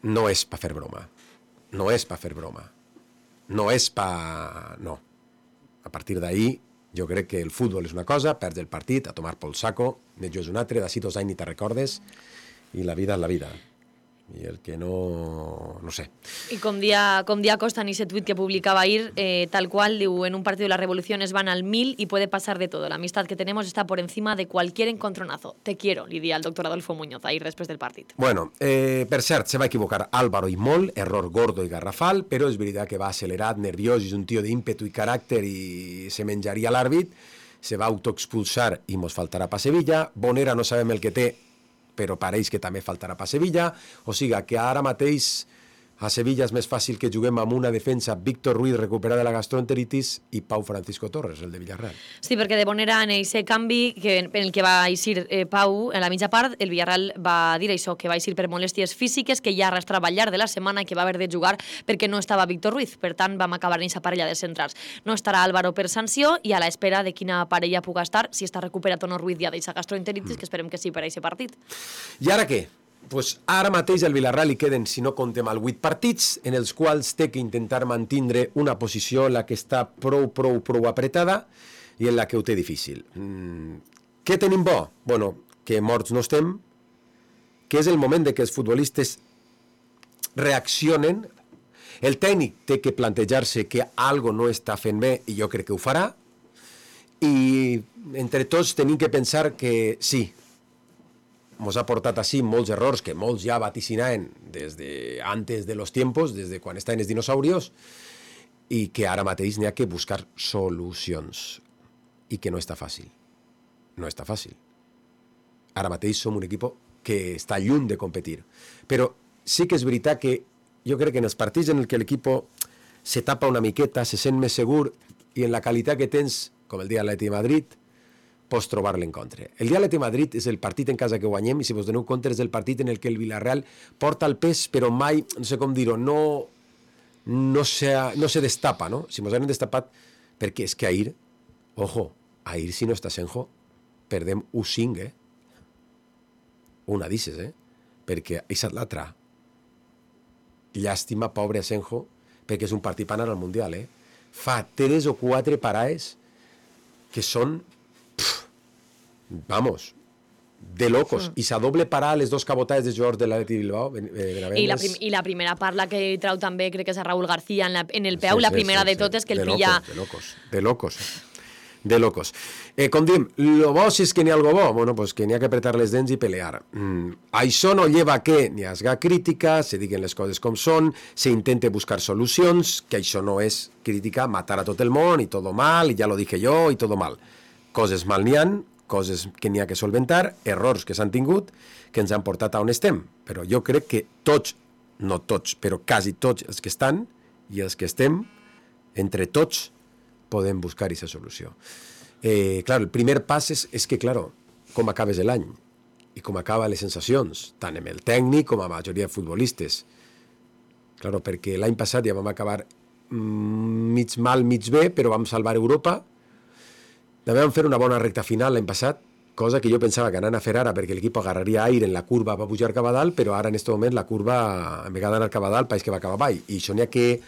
no és per fer broma. No és per fer broma. No és per... No. A partir d'ahí, jo crec que el futbol és una cosa, perds el partit, a tomar pel saco, jo és un altre, d'ací dos anys ni te recordes, i la vida és la vida. I el que no... no sé. I com dia, com dia Costa en ese tuit que publicaba ahir, eh, tal cual, diu, en un partido las revoluciones van al mil y puede pasar de todo. La amistad que tenemos está por encima de cualquier encontronazo. Te quiero, li dia el doctor Adolfo Muñoz, ahir després del partit. Bueno, eh, per cert, se va equivocar Álvaro i molt, error gordo i garrafal, però és veritat que va accelerat, nerviós, és un tio d'ímpetu i caràcter i se menjaria l'àrbit, se va autoexpulsar i mos faltarà pa Sevilla, Bonera no sabem el que té, però pareix que també faltarà per Sevilla, o sigui que ara mateix a Sevilla és més fàcil que juguem amb una defensa Víctor Ruiz recuperada de la gastroenteritis i Pau Francisco Torres, el de Villarreal. Sí, perquè de Bonera en aquest canvi que, en el que va eixir eh, Pau en la mitja part, el Villarreal va dir això, que va eixir per molèsties físiques, que ja arrastrava al llarg de la setmana i que va haver de jugar perquè no estava Víctor Ruiz. Per tant, vam acabar en aquesta parella de centrals. No estarà Álvaro per sanció i a l'espera de quina parella puga estar, si està recuperat o no Ruiz ja d'aquesta gastroenteritis, mm. que esperem que sí per a aquest partit. I ara què? Pues ara mateix al Villarreal li queden, si no comptem el vuit partits, en els quals té que intentar mantindre una posició en la que està prou, prou, prou apretada i en la que ho té difícil. Mm. Què tenim bo? Bueno, que morts no estem, que és el moment de que els futbolistes reaccionen. El tècnic té que plantejar-se que algo no està fent bé i jo crec que ho farà. I entre tots tenim que pensar que sí, mos ha portat així molts errors que molts ja vaticinaven des de antes de los tiempos, des de quan estaven els dinosaurios, i que ara mateix n'hi ha que buscar solucions. I que no està fàcil. No està fàcil. Ara mateix som un equip que està lluny de competir. Però sí que és veritat que jo crec que en els partits en què l'equip se tapa una miqueta, se sent més segur, i en la qualitat que tens, com el dia de l'Atleti de Madrid, pots trobar l'encontre. El dia de l'Atleti de Madrid és el partit en casa que guanyem i si vos doneu compte és el partit en el que el Villarreal porta el pes però mai, no sé com dir-ho, no, no, se, no se destapa, no? Si mos han destapat, perquè és que ahir, ojo, ahir si no està Senjo, perdem u cinc, eh? Una dices, eh? Perquè és l'altra. Llàstima, pobre Senjo, perquè és un partit per anar al Mundial, eh? Fa tres o quatre parades que són vamos, de locos. Mm. I s'ha doble parar les dos cabotades de jugadors de l'Atleti Bilbao. Eh, I, la prim I la primera part, la que trau també, crec que és a Raúl García en, la, en el peu, sí, la primera sí, sí, de totes, que el de pilla... Locos, de locos, de locos. De locos. Eh, com diem, lo bo si és que n'hi ha algo bo, bueno, pues que n'hi ha que apretar les dents i pelear. Mm, això no lleva a que n'hi hagi crítica, se diguen les coses com són, se intente buscar solucions, que això no és crítica, matar a tot el món i tot mal, i ja lo dije jo, i tot mal. Coses mal n'hi han, coses que n'hi ha que solventar, errors que s'han tingut, que ens han portat a on estem. Però jo crec que tots, no tots, però quasi tots els que estan i els que estem, entre tots, podem buscar aquesta solució. Eh, clar, el primer pas és, és que, clar, com acabes l'any i com acaben les sensacions, tant amb el tècnic com amb la majoria de futbolistes. Clar, perquè l'any passat ja vam acabar mm, mig mal, mig bé, però vam salvar Europa. També vam fer una bona recta final l'any passat, cosa que jo pensava que anant a fer ara perquè l'equip agarraria aire en la curva va pujar cap a dalt, però ara en aquest moment la curva, en vegada d'anar cap a dalt, pareix que va cap avall, i això n'hi ha que,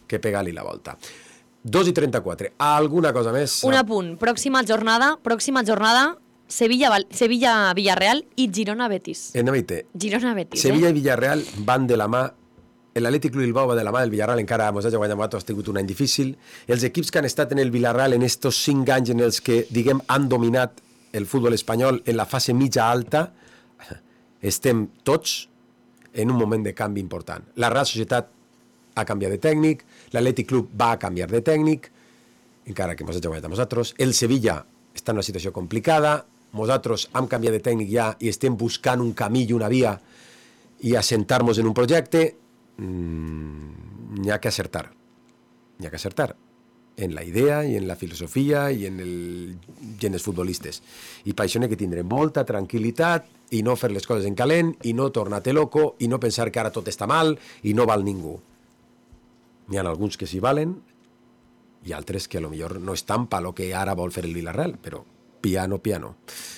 que pegar-li la volta. dos i trenta-quatre. Alguna cosa més? Un apunt. Pròxima jornada, pròxima jornada, Sevilla-Villarreal Sevilla, i Girona-Betis. En Navite. Girona-Betis, Sevilla eh? i Villarreal van de la mà. L'Atlètic Club Bilbao va de la mà del Villarreal, encara mos ha guanyat Moato, ha tingut un any difícil. Els equips que han estat en el Villarreal en estos cinc anys en els que, diguem, han dominat el futbol espanyol en la fase mitja alta, estem tots en un moment de canvi important. La Real Societat ha canviat de tècnic, l'Atlètic Club va canviar de tècnic, encara que ens ha guanyat a nosaltres, el Sevilla està en una situació complicada, nosaltres hem canviat de tècnic ja i estem buscant un camí i una via i assentar-nos en un projecte, mm, n'hi ha que acertar, n'hi ha que acertar en la idea i en la filosofia i en, el, i en els futbolistes. I per això n'hi ha que tindre molta tranquil·litat i no fer les coses en calent i no tornar-te loco i no pensar que ara tot està mal i no val ningú. N'hi ha alguns que s'hi valen i altres que a lo millor no estan per lo que ara vol fer el Villarreal, però piano, piano.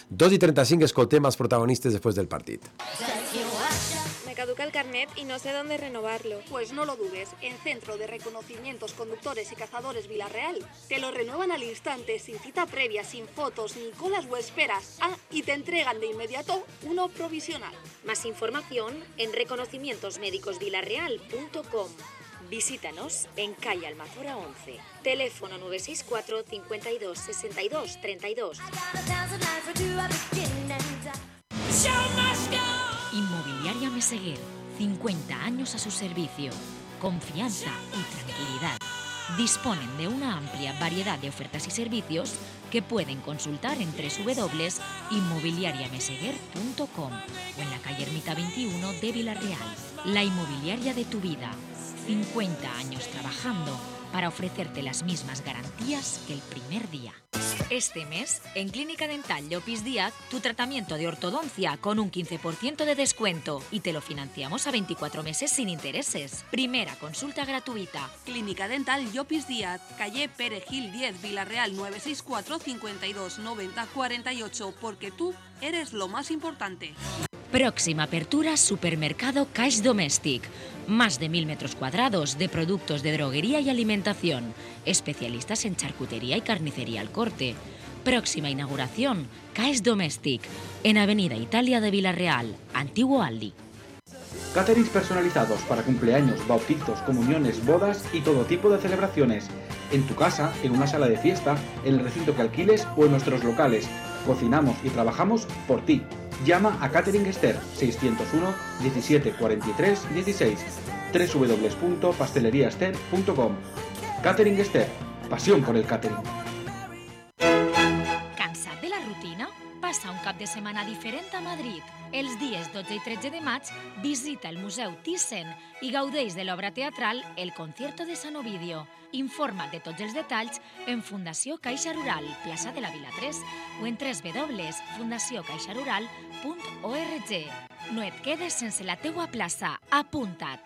dos i trenta-cinc, escoltem els protagonistes després del partit. Me caduca el carnet y no sé dónde renovarlo. Pues no lo dudes, en Centro de Reconocimientos Conductores y Cazadores Villarreal te lo renuevan al instante, sin cita previa, sin fotos, ni colas o esperas. Ah, y te entregan de inmediato uno provisional. Más información en reconocimientos médicos villarreal punto com. Visítanos en calle Almazora once. Teléfono nueve seis cuatro, cincuenta y dos, sesenta y dos, treinta y dos. Inmobiliaria Meseguer, cincuenta años a su servicio. Confianza y tranquilidad. Disponen de una amplia variedad de ofertas y servicios que pueden consultar en doble u doble u doble u punto inmobiliaria meseguer punto com o en la calle Ermita veintiuno de Villarreal. La inmobiliaria de tu vida. cincuenta años trabajando para ofrecerte las mismas garantías que el primer día. Este mes, en Clínica Dental Llopis Díaz, tu tratamiento de ortodoncia con un quince por ciento de descuento y te lo financiamos a veinticuatro meses sin intereses. Primera consulta gratuita. Clínica Dental Llopis Díaz, calle Perejil diez, Villarreal nueve seis cuatro, cincuenta y dos, noventa, cuarenta y ocho, porque tú eres lo más importante. Próxima apertura, supermercado Caix Domèstic. Más de mil metros cuadrados de productos de droguería y alimentación. Especialistas en charcutería y carnicería al corte. Próxima inauguración, Caix Domèstic, en Avenida Italia de Villarreal, Antiguo Aldi. Caterings personalizados para cumpleaños, bautizos, comuniones, bodas y todo tipo de celebraciones. En tu casa, en una sala de fiesta, en el recinto que alquiles o en nuestros locales. Cocinamos y trabajamos por ti. Llama a Catering Esther seiscientos uno, diecisiete, cuarenta y tres, dieciséis, doble u doble u doble u punto pastelería ester punto com. Catering Esther, pasión por el catering. Cansat de la rutina? Passa un cap de setmana diferent a Madrid. Els dies dotze i tretze de maig visita el Museu Thyssen i gaudeix de l'obra teatral El concierto de San Ovidio. Informa't de tots els detalls en Fundació Caixa Rural, plaça de la Vila tres, o en doble u doble u doble u punt fundació caixa rural punt org. No et quedes sense la teua plaça. Apunta't!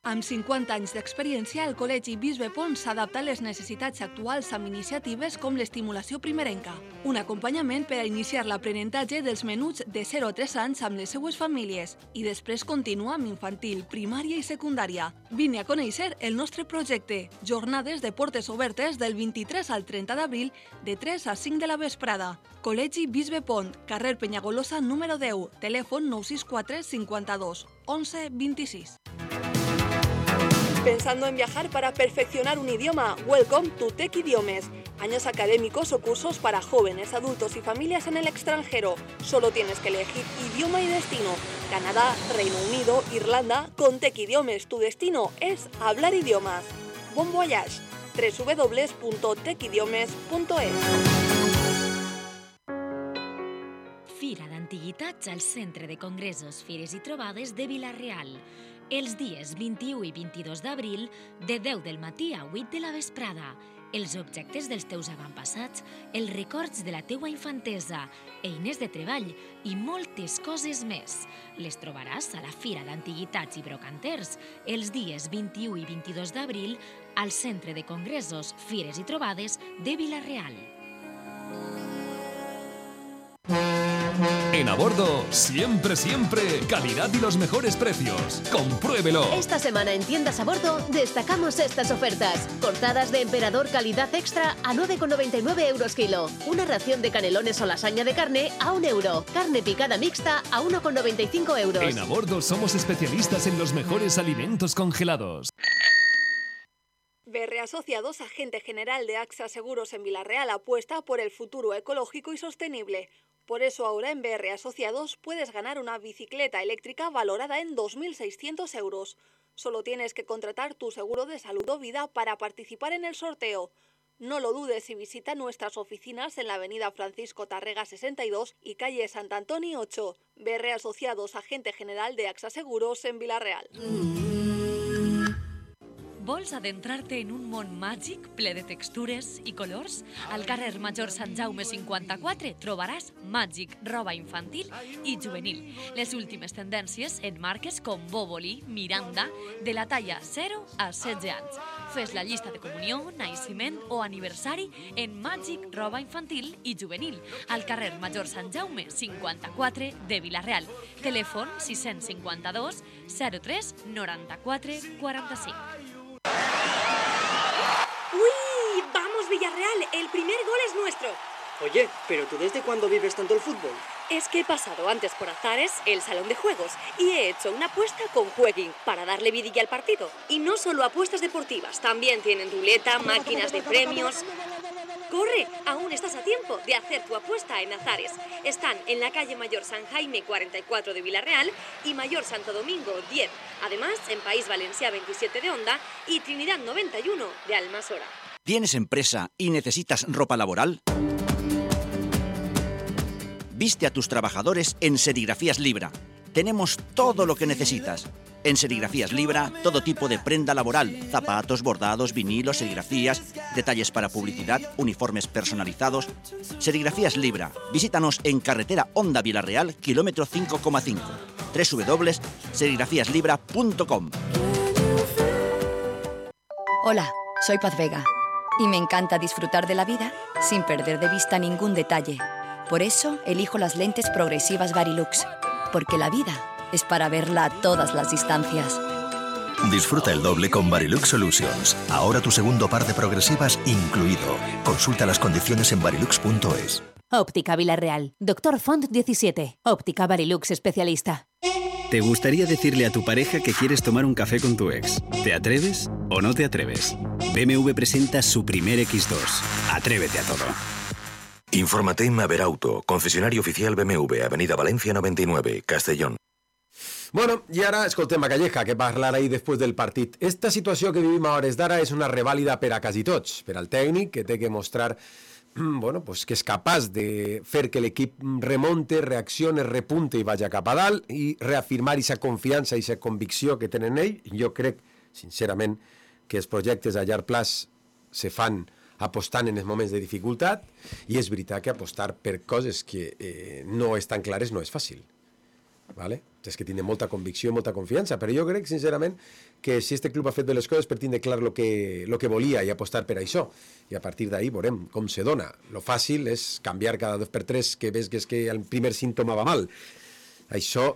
Amb cinquanta anys d'experiència, el Col·legi Bisbe Pons s'adapta a les necessitats actuals amb iniciatives com l'estimulació primerenca. Un acompanyament per a iniciar l'aprenentatge dels menuts de zero a tres anys amb les seues famílies i després continua amb infantil, primària i secundària. Vine a conèixer el nostre projecte. Jornades de portes obertes del vint-i-tres al trenta d'abril de tres a cinc de la vesprada. Col·legi Bisbe Pont, carrer Penyagolosa número deu, telèfon nou sis quatre, cinquanta-dos, onze, vint-i-sis. ¿Pensando en viajar para perfeccionar un idioma? Welcome to Tech Idiomes. Años académicos o cursos para jóvenes, adultos y familias en el extranjero. Solo tienes que elegir idioma y destino. Canadá, Reino Unido, Irlanda. Con Tech Idiomes tu destino es hablar idiomas. Bon voyage. doble u doble u doble u punto tech idiomes punto es. Fira d'Antiguitats al Centre de Congressos, Fires i Trobades de Villarreal. Els dies vint-i-u i vint-i-dos d'abril, de deu del matí a vuit de la vesprada. Els objectes dels teus avantpassats, els records de la teua infantesa, eines de treball i moltes coses més. Les trobaràs a la Fira d'Antiguitats i Brocanters els dies vint-i-u i vint-i-dos d'abril al Centre de Congressos, Fires i Trobades de Villarreal. En Abordo, siempre, siempre, calidad y los mejores precios. ¡Compruébelo! Esta semana en Tiendas Abordo destacamos estas ofertas. Cortadas de emperador calidad extra a nueve con noventa y nueve euros kilo. Una ración de canelones o lasaña de carne a un euro. Carne picada mixta a uno con noventa y cinco euros. En Abordo somos especialistas en los mejores alimentos congelados. B R Asociados, agente general de AXA Seguros en Villarreal, apuesta por el futuro ecológico y sostenible. Por eso ahora en B R Asociados puedes ganar una bicicleta eléctrica valorada en dos mil seiscientos euros. Solo tienes que contratar tu seguro de salud o vida para participar en el sorteo. No lo dudes y visita nuestras oficinas en la avenida Francisco Tarrega sesenta y dos y calle Sant Antoni ocho. B R Asociados, agente general de AXA Seguros en Vila-real. Vols adentrar-te en un món màgic ple de textures i colors? Al carrer Major Sant Jaume cinquanta-quatre trobaràs Màgic, roba infantil i juvenil. Les últimes tendències en marques com Boboli, Miranda, de la talla zero a setze anys. Fes la llista de comunió, naixement o aniversari en Màgic, roba infantil i juvenil, al carrer Major Sant Jaume cinquanta-quatre de Vila-real. Telèfon sis cinquanta-dos zero tres noranta-quatre quaranta-cinc. ¡Uy! ¡Vamos, Villarreal! El primer gol es nuestro. Oye, ¿pero tú desde cuándo vives tanto el fútbol? Es que he pasado antes por Azares, el salón de juegos, y he hecho una apuesta con Jueguin para darle vidilla al partido. Y no solo apuestas deportivas, también tienen ruleta, máquinas de premios. ¡Corre! Aún estás a tiempo de hacer tu apuesta en Azares. Están en la calle Mayor San Jaime cuarenta y cuatro de Vila-real y Mayor Santo Domingo diez. Además, en País Valencià veintisiete de Onda y Trinidad noventa y uno de Almasora. ¿Tienes empresa y necesitas ropa laboral? Viste a tus trabajadores en Serigrafías Libra. Tenemos todo lo que necesitas. En Serigrafías Libra, todo tipo de prenda laboral, zapatos, bordados, vinilos, serigrafías, detalles para publicidad, uniformes personalizados. Serigrafías Libra. Visítanos en carretera Onda Vila-real, kilómetro cinco coma cinco. doble u doble u doble u punto serigrafías libra punto com. Hola, soy Paz Vega y me encanta disfrutar de la vida sin perder de vista ningún detalle. Por eso elijo las lentes progresivas Varilux, porque la vida es para verla a todas las distancias. Disfruta el doble con Varilux Solutions. Ahora tu segundo par de progresivas incluido. Consulta las condiciones en varilux punto es. Óptica Vila-real. Doctor Font diecisiete. Óptica Varilux especialista. ¿Te gustaría decirle a tu pareja que quieres tomar un café con tu ex? ¿Te atreves o no te atreves? B M W presenta su primer equis dos. Atrévete a todo. Infórmate en Maverauto, concesionario oficial B M W, Avenida Valencia noventa y nueve, Castellón. Bueno, i ara escoltem a Calleja, que parlarà ahir després del partit. Esta situació que vivim a hores d'ara és una revàlida per a quasi tots. Per al tècnic, que té que mostrar bueno, pues que és capaç de fer que l'equip remonte, reaccione, repunte i vagi cap a dalt i reafirmar aquesta confiança i aquesta convicció que tenen ell. Jo crec, sincerament, que els projectes a llarg plaç se fan apostant en els moments de dificultat i és veritat que apostar per coses que eh, no estan clares no és fàcil. Vale? És que tindre molta convicció i molta confiança, però jo crec, sincerament, que si este club ha fet bé les coses per tindre clar el que, lo que volia i apostar per això, i a partir d'ahir veurem com se dona. Lo fàcil és canviar cada dos per tres que ves que és que el primer símptoma va mal. Això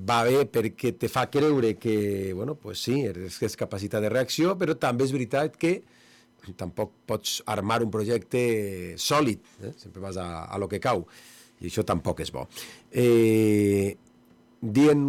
va bé perquè te fa creure que, bueno, pues sí, és capacitat de reacció, però també és veritat que tampoc pots armar un projecte sòlid, eh? Sempre vas a, a lo que cau, i això tampoc és bo. Eh... Dient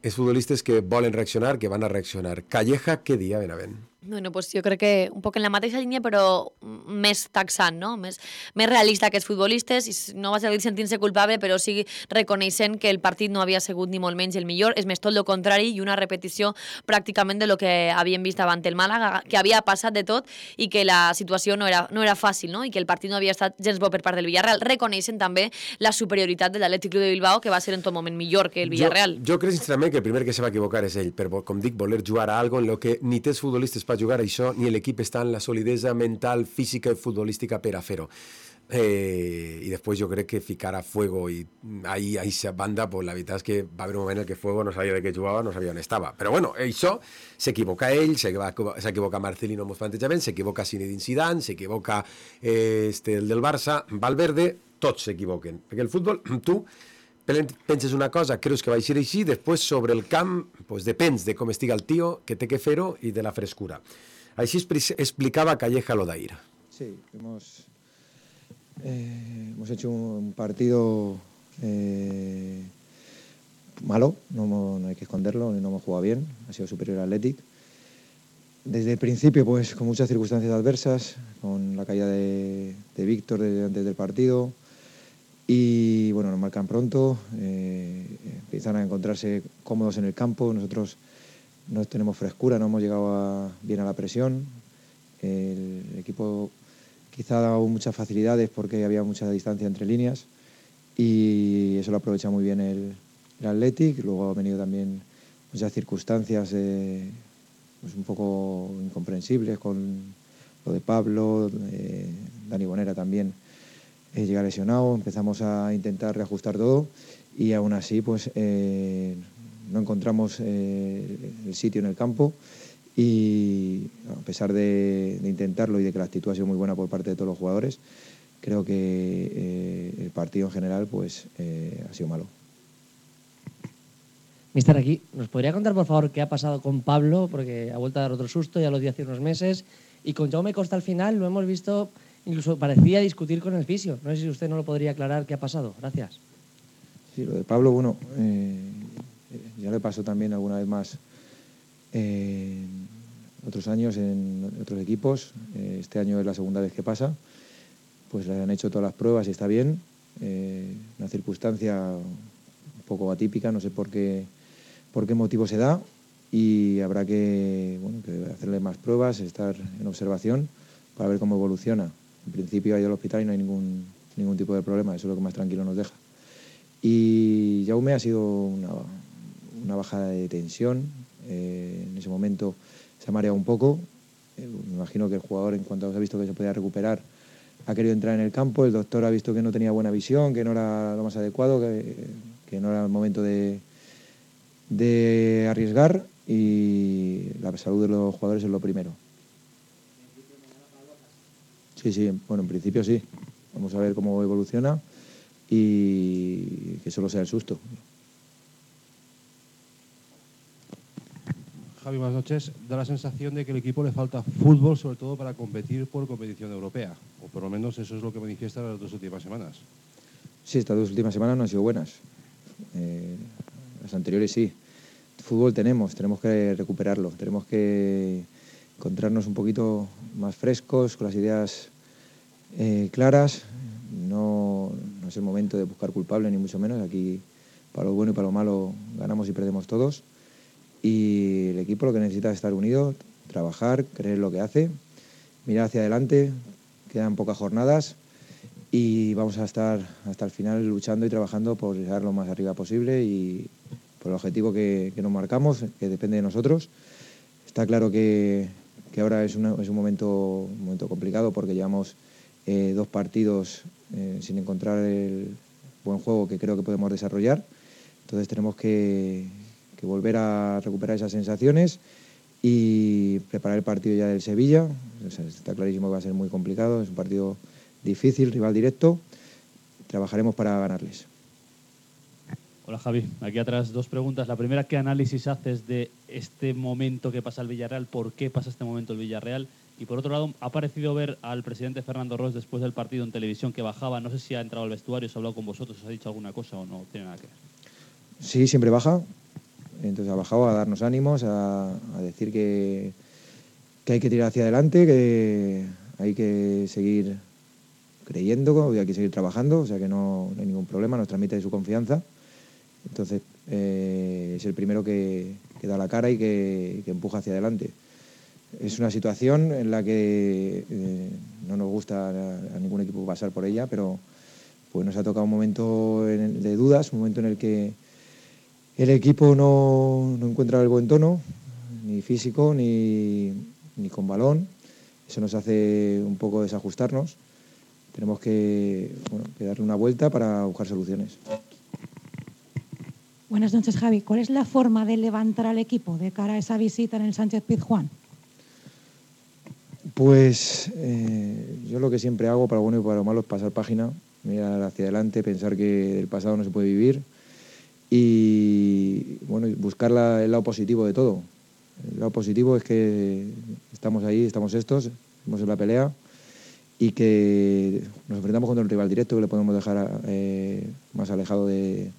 els futbolistes que volen reaccionar, que van a reaccionar. Calleja, què dia, Benavent? Bueno, pues jo crec que un poc en la mateixa línia, però més taxant, no? Més, més realista que els futbolistes, i no va seguir sentint-se culpable, però sí reconeixent que el partit no havia sigut ni molt menys el millor, és més tot el contrari i una repetició pràcticament de lo que havíem vist davant el Màlaga, que havia passat de tot i que la situació no era, no era fàcil, no? I que el partit no havia estat gens bo per part del Villarreal. Reconeixen també la superioritat de l'Atlètic Club de Bilbao, que va ser en tot moment millor que el Villarreal. Jo, jo crec sincerament que el primer que se va equivocar és ell, per, com dic, voler jugar a algo en lo que ni té els futbolistes per jugar a això, ni l'equip està en la solidesa mental, física i futbolística per a fer-ho. Eh, I després jo crec que ficar a Fuego i ahí a aquesta banda, pues la veritat és que va haver un moment en què Fuego no sabia de què jugava, no sabia on estava. Però bueno, això s'equivoca ell, s'equivoca Marcelino amb els plantejaments, s'equivoca Zinedine Zidane, s'equivoca eh, este, el del Barça, Valverde, tots s'equivoquen. Perquè el futbol, tu penses una cosa, creus que va ser així, després sobre el camp pues, depens de com estiga el tio, que té que fer-ho i de la frescura. Així explicaba Calleja lo de ayer. Sí, hemos, eh, hemos hecho un partido eh, malo, no, no hay que esconderlo, no hemos jugado bien, ha sido superior al Athletic. Desde el principio, pues con muchas circunstancias adversas, con la caída de, de Víctor desde antes del partido, y bueno, nos marcan pronto, eh, empiezan a encontrarse cómodos en el campo, nosotros no tenemos frescura, no hemos llegado a, bien a la presión, el equipo quizá ha dado muchas facilidades porque había mucha distancia entre líneas y eso lo aprovecha muy bien el, el Athletic. Luego ha venido también muchas circunstancias eh, pues un poco incomprensibles con lo de Pablo, eh, Dani Bonera también eh, llega lesionado, empezamos a intentar reajustar todo y aún así pues eh, no encontramos eh, el sitio en el campo y a pesar de, de intentarlo y de que la actitud ha sido muy buena por parte de todos los jugadores, creo que eh, el partido en general pues eh, ha sido malo. Mister, aquí, ¿nos podría contar por favor qué ha pasado con Pablo? Porque ha vuelto a dar otro susto, ya lo di hace unos meses, y con Jaume Costa al final lo hemos visto, incluso parecía discutir con el fisio. No sé si usted no lo podría aclarar qué ha pasado. Gracias. Sí, lo de Pablo, bueno, eh, ya le pasó también alguna vez más eh, otros años en otros equipos. Eh, este año es la segunda vez que pasa. Pues le han hecho todas las pruebas y está bien. Eh, una circunstancia un poco atípica, no sé por qué, por qué motivo se da y habrá que, bueno, que hacerle más pruebas, estar en observación para ver cómo evoluciona. En principio ha ido al hospital y no hay ningún, ningún tipo de problema, eso es lo que más tranquilo nos deja. Y Jaume ha sido una, una bajada de tensión, eh, en ese momento se ha mareado un poco, eh, me imagino que el jugador en cuanto ha visto que se podía recuperar ha querido entrar en el campo, el doctor ha visto que no tenía buena visión, que no era lo más adecuado, que, que no era el momento de, de arriesgar y la salud de los jugadores es lo primero. Sí, sí, bueno, en principio sí. Vamos a ver cómo evoluciona y que solo sea el susto. Javi, buenas noches. Da la sensación de que al equipo le falta fútbol, sobre todo para competir por competición europea, o por lo menos eso es lo que manifiesta las dos últimas semanas. Sí, estas dos últimas semanas no han sido buenas. Eh, las anteriores sí. Fútbol tenemos, tenemos que recuperarlo, tenemos que encontrarnos un poquito más frescos, con las ideas eh, claras. No, no es el momento de buscar culpable, ni mucho menos. Aquí, para lo bueno y para lo malo, ganamos y perdemos todos. Y el equipo lo que necesita es estar unido, trabajar, creer lo que hace, mirar hacia adelante. Quedan pocas jornadas y vamos a estar hasta el final luchando y trabajando por llegar lo más arriba posible y por el objetivo que, que nos marcamos, que depende de nosotros. Está claro que, que ahora es, una, es un, momento, un momento complicado porque llevamos eh, dos partidos eh, sin encontrar el buen juego que creo que podemos desarrollar. Entonces tenemos que, que volver a recuperar esas sensaciones y preparar el partido ya del Sevilla. O sea, está clarísimo que va a ser muy complicado, es un partido difícil, rival directo. Trabajaremos para ganarles. Hola Javi, aquí atrás dos preguntas. La primera, ¿qué análisis haces de este momento que pasa el Villarreal? ¿Por qué pasa este momento el Villarreal? Y por otro lado, ha parecido ver al presidente Fernando Ros después del partido en televisión que bajaba. No sé si ha entrado al vestuario, se ha hablado con vosotros, os ha dicho alguna cosa o no tiene nada que ver. Sí, siempre baja. Entonces ha bajado a darnos ánimos, a, a decir que, que hay que tirar hacia adelante, que hay que seguir creyendo, que hay que seguir trabajando, o sea que no, no hay ningún problema, nos transmite su confianza. Entonces eh, es el primero que, que da la cara y que, que empuja hacia adelante. Es una situación en la que eh, no nos gusta a, a ningún equipo pasar por ella, pero pues nos ha tocado un momento en, de dudas, un momento en el que el equipo no, no encuentra el buen tono, ni físico, ni, ni con balón. Eso nos hace un poco desajustarnos. Tenemos que, bueno, que darle una vuelta para buscar soluciones. Buenas noches, Javi. ¿Cuál es la forma de levantar al equipo de cara a esa visita en el Sánchez Pizjuán? Pues eh, yo lo que siempre hago, para lo bueno y para lo malo, es pasar página, mirar hacia adelante, pensar que del pasado no se puede vivir y bueno, buscar la, el lado positivo de todo. El lado positivo es que estamos ahí, estamos estos, estamos en la pelea y que nos enfrentamos contra un rival directo que le podemos dejar eh, más alejado de,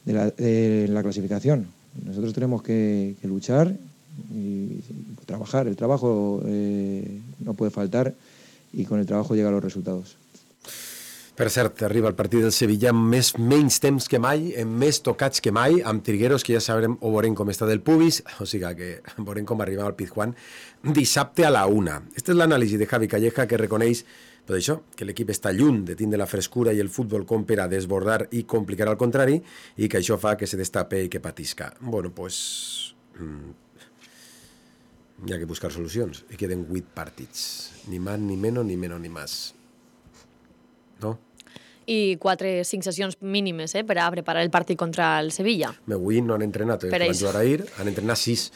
de, la, de la clasificación. Nosotros tenemos que, que luchar y trabajar. El trabajo eh, no puede faltar y con el trabajo llegan los resultados. Per cert, arriba el partit del Sevilla amb més, menys temps que mai, amb més tocats que mai, amb Trigueros, que ja sabrem o veurem com està del pubis, o sigui que veurem com arribem al Pizjuán dissabte a la una. Esta és l'anàlisi de Javi Calleja, que reconeix per això, que l'equip està lluny de tindre la frescura i el futbol com per a desbordar i complicar al contrari, i que això fa que se destape i que patisca. Bueno, pues... hi ha que buscar solucions. I queden vuit partits. Ni más, ni menos, ni menos, ni más. No? I quatre, cinc sessions mínimes eh, per a preparar el partit contra el Sevilla. Avui no han entrenat, eh, van jugar ahir, han entrenat sis.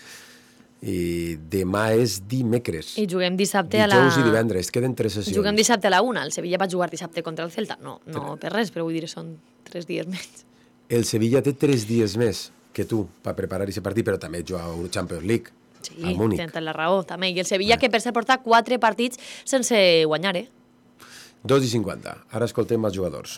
I demà és dimecres. I juguem dissabte a la... Dijous i divendres, queden tres sessions. Juguem dissabte a la una. El Sevilla va jugar dissabte contra el Celta. No, no per res, però vull dir, són tres dies més. El Sevilla té tres dies més que tu per preparar aquest partit, però també juga a una Champions League. Sí, tenen la raó, també. I el Sevilla, que per ser porta quatre partits sense guanyar, eh? dos i cinquanta. Ara escoltem els jugadors.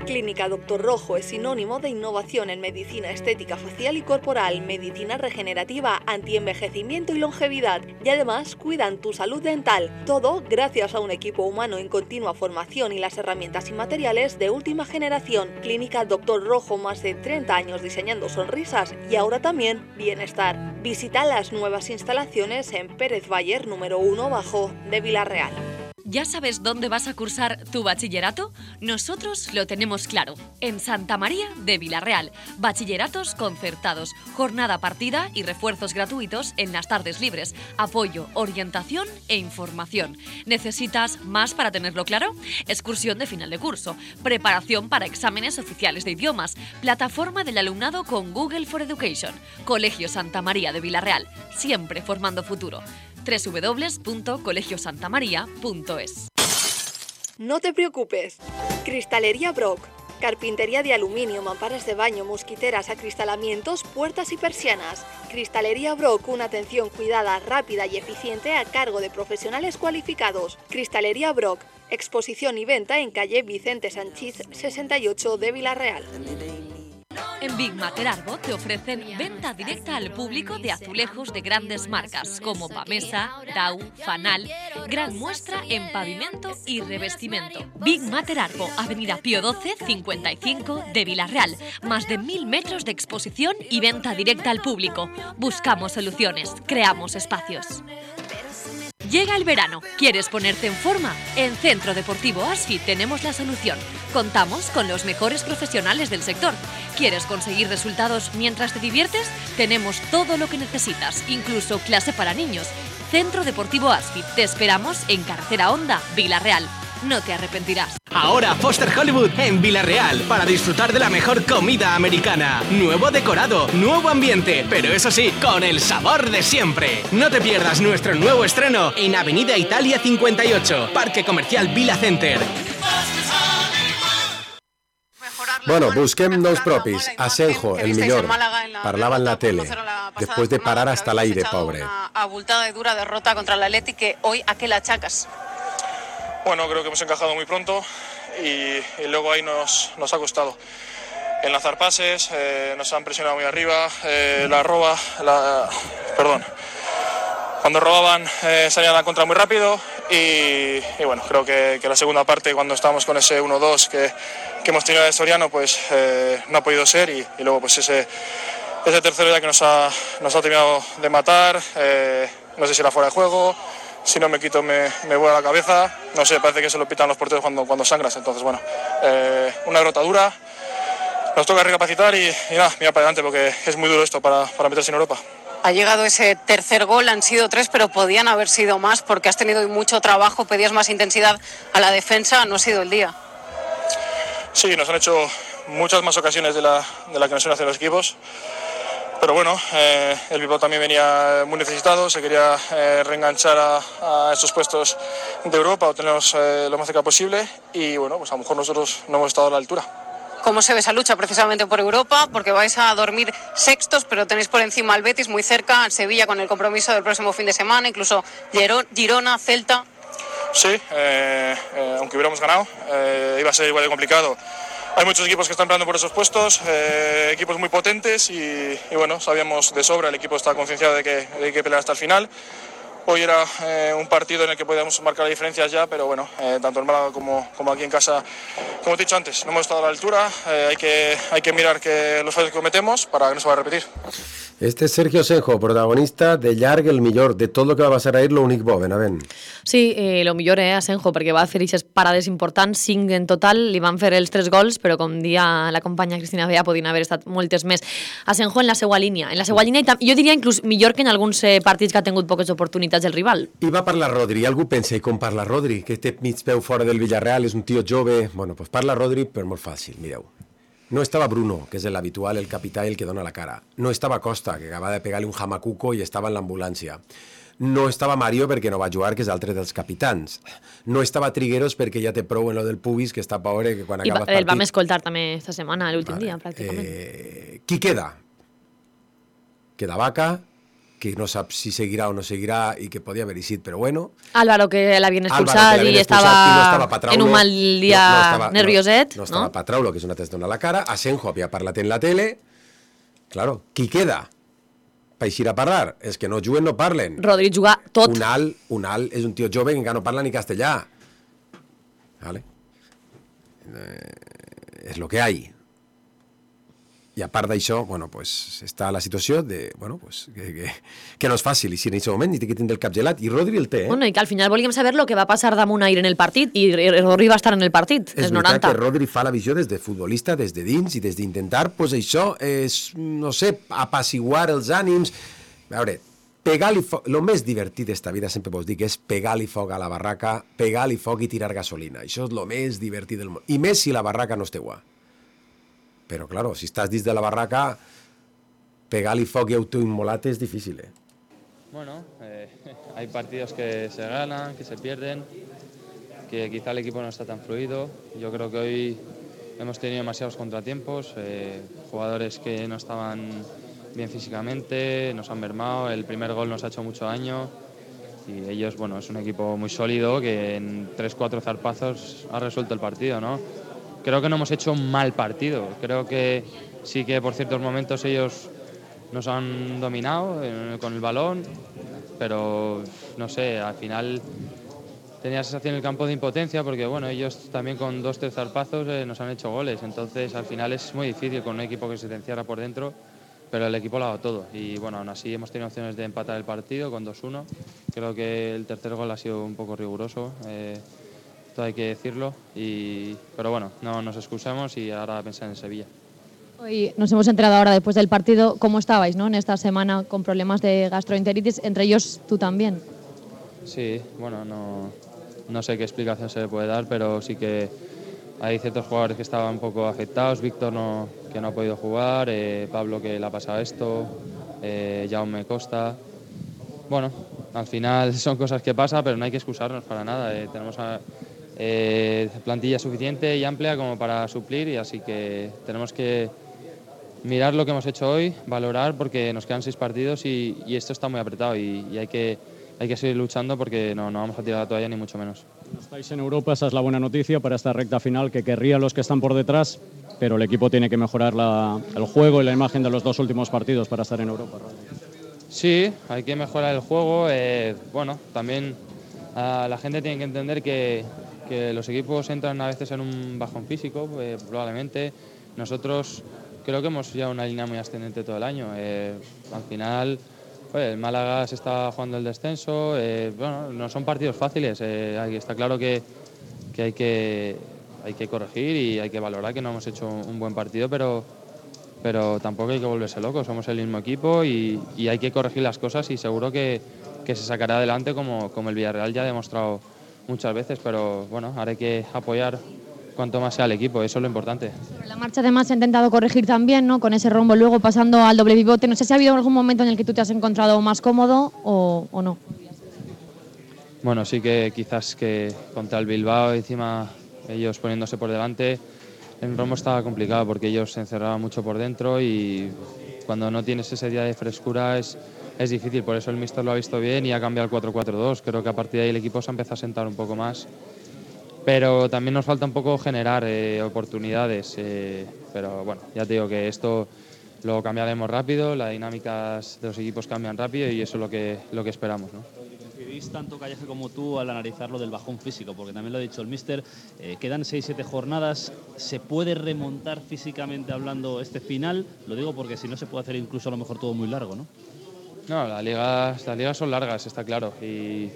Clínica Doctor Rojo es sinónimo de innovación en medicina estética facial y corporal, medicina regenerativa, antienvejecimiento y longevidad. Y además cuidan tu salud dental. Todo gracias a un equipo humano en continua formación y las herramientas y materiales de última generación. Clínica Doctor Rojo, más de treinta años diseñando sonrisas y ahora también bienestar. Visita las nuevas instalaciones en Pérez Bayer número uno bajo de Villarreal. ¿Ya sabes dónde vas a cursar tu bachillerato? Nosotros lo tenemos claro. En Santa María de Villarreal. Bachilleratos concertados, jornada partida y refuerzos gratuitos en las tardes libres. Apoyo, orientación e información. ¿Necesitas más para tenerlo claro? Excursión de final de curso. Preparación para exámenes oficiales de idiomas. Plataforma del alumnado con Google for Education. Colegio Santa María de Villarreal. Siempre formando futuro. doble u doble u doble u punto colegio santa maría punto es. No te preocupes. Cristalería Brock. Carpintería de aluminio, mamparas de baño, mosquiteras, acristalamientos, puertas y persianas. Cristalería Brock, una atención cuidada, rápida y eficiente a cargo de profesionales cualificados. Cristalería Brock. Exposición y venta en calle Vicente Sanchís sesenta y ocho de Villarreal. En Big Mater Arbo te ofrecen venta directa al público de azulejos de grandes marcas como Pamesa, Dau, Fanal, gran muestra en pavimento y revestimiento. Big Mater Arbo, Avenida Pío doce, cincuenta y cinco de Villarreal. Más de mil metros de exposición y venta directa al público. Buscamos soluciones, creamos espacios. Llega el verano. ¿Quieres ponerte en forma? En Centro Deportivo Asfit tenemos la solución. Contamos con los mejores profesionales del sector. ¿Quieres conseguir resultados mientras te diviertes? Tenemos todo lo que necesitas, incluso clase para niños. Centro Deportivo Asfit. Te esperamos en Carretera Honda, Villarreal. No te arrepentirás. Ahora Foster Hollywood en Villarreal para disfrutar de la mejor comida americana. Nuevo decorado, nuevo ambiente, pero eso sí, con el sabor de siempre. No te pierdas nuestro nuevo estreno en Avenida Italia cincuenta y ocho, Parque Comercial Vila Center. Bueno, busquem nous propis. Asenjo, el millor, parlava en la tele, después de parar hasta el aire, pobre. Una abultada y dura derrota contra el Athletic que hoy ¿a qué la achacas? Bueno, creo que hemos encajado muy pronto y, y luego ahí nos, nos ha costado enlazar pases, eh, nos han presionado muy arriba, eh, la roba, la, perdón, cuando robaban eh, salían a la contra muy rápido y, y bueno, creo que, que la segunda parte cuando estábamos con ese uno dos que, que hemos tenido de Soriano pues eh, no ha podido ser y, y luego pues ese, ese tercero ya que nos ha, nos ha terminado de matar, eh, no sé si era fuera de juego. Si no me quito me, me vuela la cabeza, no sé, parece que se lo pitan los porteros cuando, cuando sangras, entonces bueno, eh, una derrota dura, nos toca recapacitar y, y nada, mira para adelante porque es muy duro esto para, para meterse en Europa. Ha llegado ese tercer gol, han sido tres, pero podían haber sido más porque has tenido mucho trabajo, pedías más intensidad a la defensa, no ha sido el día. Sí, nos han hecho muchas más ocasiones de la, de la que nos suelen hacer los equipos. Pero bueno, eh, el Bilbao también venía muy necesitado, se quería eh, reenganchar a, a estos puestos de Europa o tenerlos eh, lo más cerca posible y bueno, pues a lo mejor nosotros no hemos estado a la altura. ¿Cómo se ve esa lucha precisamente por Europa? Porque vais a dormir sextos, pero tenéis por encima al Betis muy cerca, al Sevilla con el compromiso del próximo fin de semana, incluso Girona, Celta. Sí, eh, eh, aunque hubiéramos ganado, eh, iba a ser igual de complicado. Hay muchos equipos que están peleando por esos puestos, eh, equipos muy potentes y, y bueno, sabíamos de sobra, el equipo está concienciado de que hay que pelear hasta el final. hoy era eh, un partido en el que podíamos marcar diferencias ya, pero bueno, eh, tanto en Málaga como, como aquí en casa, como te he dicho antes, no hemos estado a la altura, eh, hay, que, hay que mirar que los fallos que cometemos para que no se va a repetir. Este és Sergio Senjo, protagonista de llarg el millor de tot el que va passar ahir, l'únic bo, Benavent. Sí, eh, lo millor eh, a Senjo, perquè va fer aquestes parades importants, cinc en total, li van fer els tres gols, però com dia la companya Cristina Bea podien haver estat moltes més. A Senjo en la seva línia, en la seva línia, i jo diria inclús millor que en alguns eh, partits que ha tingut poques oportunitats el rival. I va parlar Rodri, algú pensa, i com parla Rodri, que té mig peu fora del Villarreal, és un tio jove, bueno, pues parla Rodri, però molt fàcil, mireu. No estaba Bruno, que es el habitual, el capitán, el que dona la cara. No estaba Costa, que acaba de pegarle un jamacuco i estava en l'ambulància. No estava Mario perquè no va jugar, que és l'altre dels capitans. No estava Trigueros perquè ja té prou en lo del pubis, que està pobre, que quan I acaba el el partit... vam escoltar també esta setmana, l'últim vale. dia, pràcticament. Eh, qui queda? Queda Vaca, que no sap si seguirà o no seguirà i que podia haver eixit, però bueno. Álvaro, que l'havien expulsat i estava, no estava en un mal dia no, no estava, nervioset. No, no estava no? Patraulo, que és una testa dona la cara. Asenjo havia parlat en la tele. Claro, qui queda? Per eixir a parlar. És que no juguen, no parlen. Rodri juga tot. Unal, Unal és un tio jove que encara no parla ni castellà. Vale? Eh, és lo que hay. I a part d'això, bueno, pues, està la situació de, bueno, pues, que, que, que no és fàcil, i si en aquest moment ni té que tindre el cap gelat, i Rodri el té, eh? Bueno, i que al final volíem saber lo que va passar damunt ahir en el partit, i Rodri va estar en el partit, és els noranta. És veritat que Rodri fa la visió des de futbolista, des de dins, i des d'intentar, pues això, és, no sé, apaciguar els ànims. A veure, pegar-li foc, el més divertit d'esta vida, sempre vos dic, és pegar-li foc a la barraca, pegar-li foc i tirar gasolina. Això és el més divertit del món. I més si la barraca no és teua. Pero claro, si estás dins de la barraca, pegar-li foc i autoinmolat es difícil, ¿eh? Bueno, eh, hay partidos que se ganan, que se pierden, que quizá el equipo no está tan fluido. Yo creo que hoy hemos tenido demasiados contratiempos, eh, jugadores que no estaban bien físicamente, nos han mermado, el primer gol nos ha hecho mucho daño y ellos, bueno, es un equipo muy sólido que en tres cuatro zarpazos ha resuelto el partido, ¿no? Creo que no hemos hecho un mal partido, creo que sí que por ciertos momentos ellos nos han dominado eh, con el balón, pero no sé, al final tenía sensación en el campo de impotencia porque bueno, ellos también con dos, tres zarpazos eh, nos han hecho goles, entonces al final es muy difícil con un equipo que se te encierra por dentro, pero el equipo lo ha dado todo y bueno, aún así hemos tenido opciones de empatar el partido con dos uno, creo que el tercer gol ha sido un poco riguroso, eh, esto hay que decirlo, y, pero bueno, no nos excusamos y ahora a pensar en Sevilla. Hoy nos hemos enterado ahora después del partido cómo estabais, ¿no? En esta semana con problemas de gastroenteritis, entre ellos tú también. Sí, bueno, no, no sé qué explicación se le puede dar, pero sí que hay ciertos jugadores que estaban un poco afectados, Víctor no, que no ha podido jugar, eh, Pablo que le ha pasado esto, eh, Jaume Costa. Bueno, al final son cosas que pasan, pero no hay que excusarnos para nada, eh, tenemos a, Eh, plantilla suficiente y amplia como para suplir y así que tenemos que mirar lo que hemos hecho hoy, valorar porque nos quedan seis partidos y, y esto está muy apretado y, y hay, que, hay que seguir luchando porque no, no vamos a tirar la toalla ni mucho menos. Estáis en Europa, esa es la buena noticia para esta recta final que querrían los que están por detrás, pero el equipo tiene que mejorar la, el juego y la imagen de los dos últimos partidos para estar en Europa. Sí, hay que mejorar el juego, eh, bueno, también uh, la gente tiene que entender que que los equipos entran a veces en un bajón físico, eh, probablemente. Nosotros creo que hemos llevado una línea muy ascendente todo el año. Eh, al final, pues, el Málaga se está jugando el descenso. Eh, bueno, no son partidos fáciles. Eh, está claro que, que, hay que hay que corregir y hay que valorar que no hemos hecho un buen partido, pero, pero tampoco hay que volverse locos. Somos el mismo equipo y, y hay que corregir las cosas y seguro que, que se sacará adelante como, como el Villarreal ya ha demostrado muchas veces, pero bueno, ahora hay que apoyar cuanto más sea el equipo, eso es lo importante. Pero la marcha además se ha intentado corregir también, ¿no? Con ese rombo luego pasando al doble pivote, no sé si ha habido algún momento en el que tú te has encontrado más cómodo o, o no. Bueno, sí que quizás que contra el Bilbao, encima ellos poniéndose por delante, el rombo estaba complicado porque ellos se encerraban mucho por dentro y cuando no tienes ese día de frescura es Es difícil, por eso el míster lo ha visto bien y ha cambiado el cuatro cuatro dos. Creo que a partir de ahí el equipo se ha empezado a sentar un poco más. Pero también nos falta un poco generar eh, oportunidades. Eh, pero bueno, ya te digo que esto lo cambiaremos rápido, las dinámicas de los equipos cambian rápido y eso es lo que, lo que esperamos, ¿no? veis tanto Calleja como tú al analizar lo del bajón físico? Porque también lo ha dicho el míster, eh, quedan seis siete jornadas, ¿se puede remontar físicamente hablando este final? Lo digo porque si no se puede hacer incluso a lo mejor todo muy largo, ¿no? No, las ligas, las ligas son largas, está claro. Y,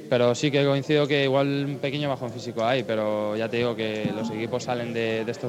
pero sí que coincido que igual un pequeño bajón físico hay, pero ya te digo que los equipos salen de, de estos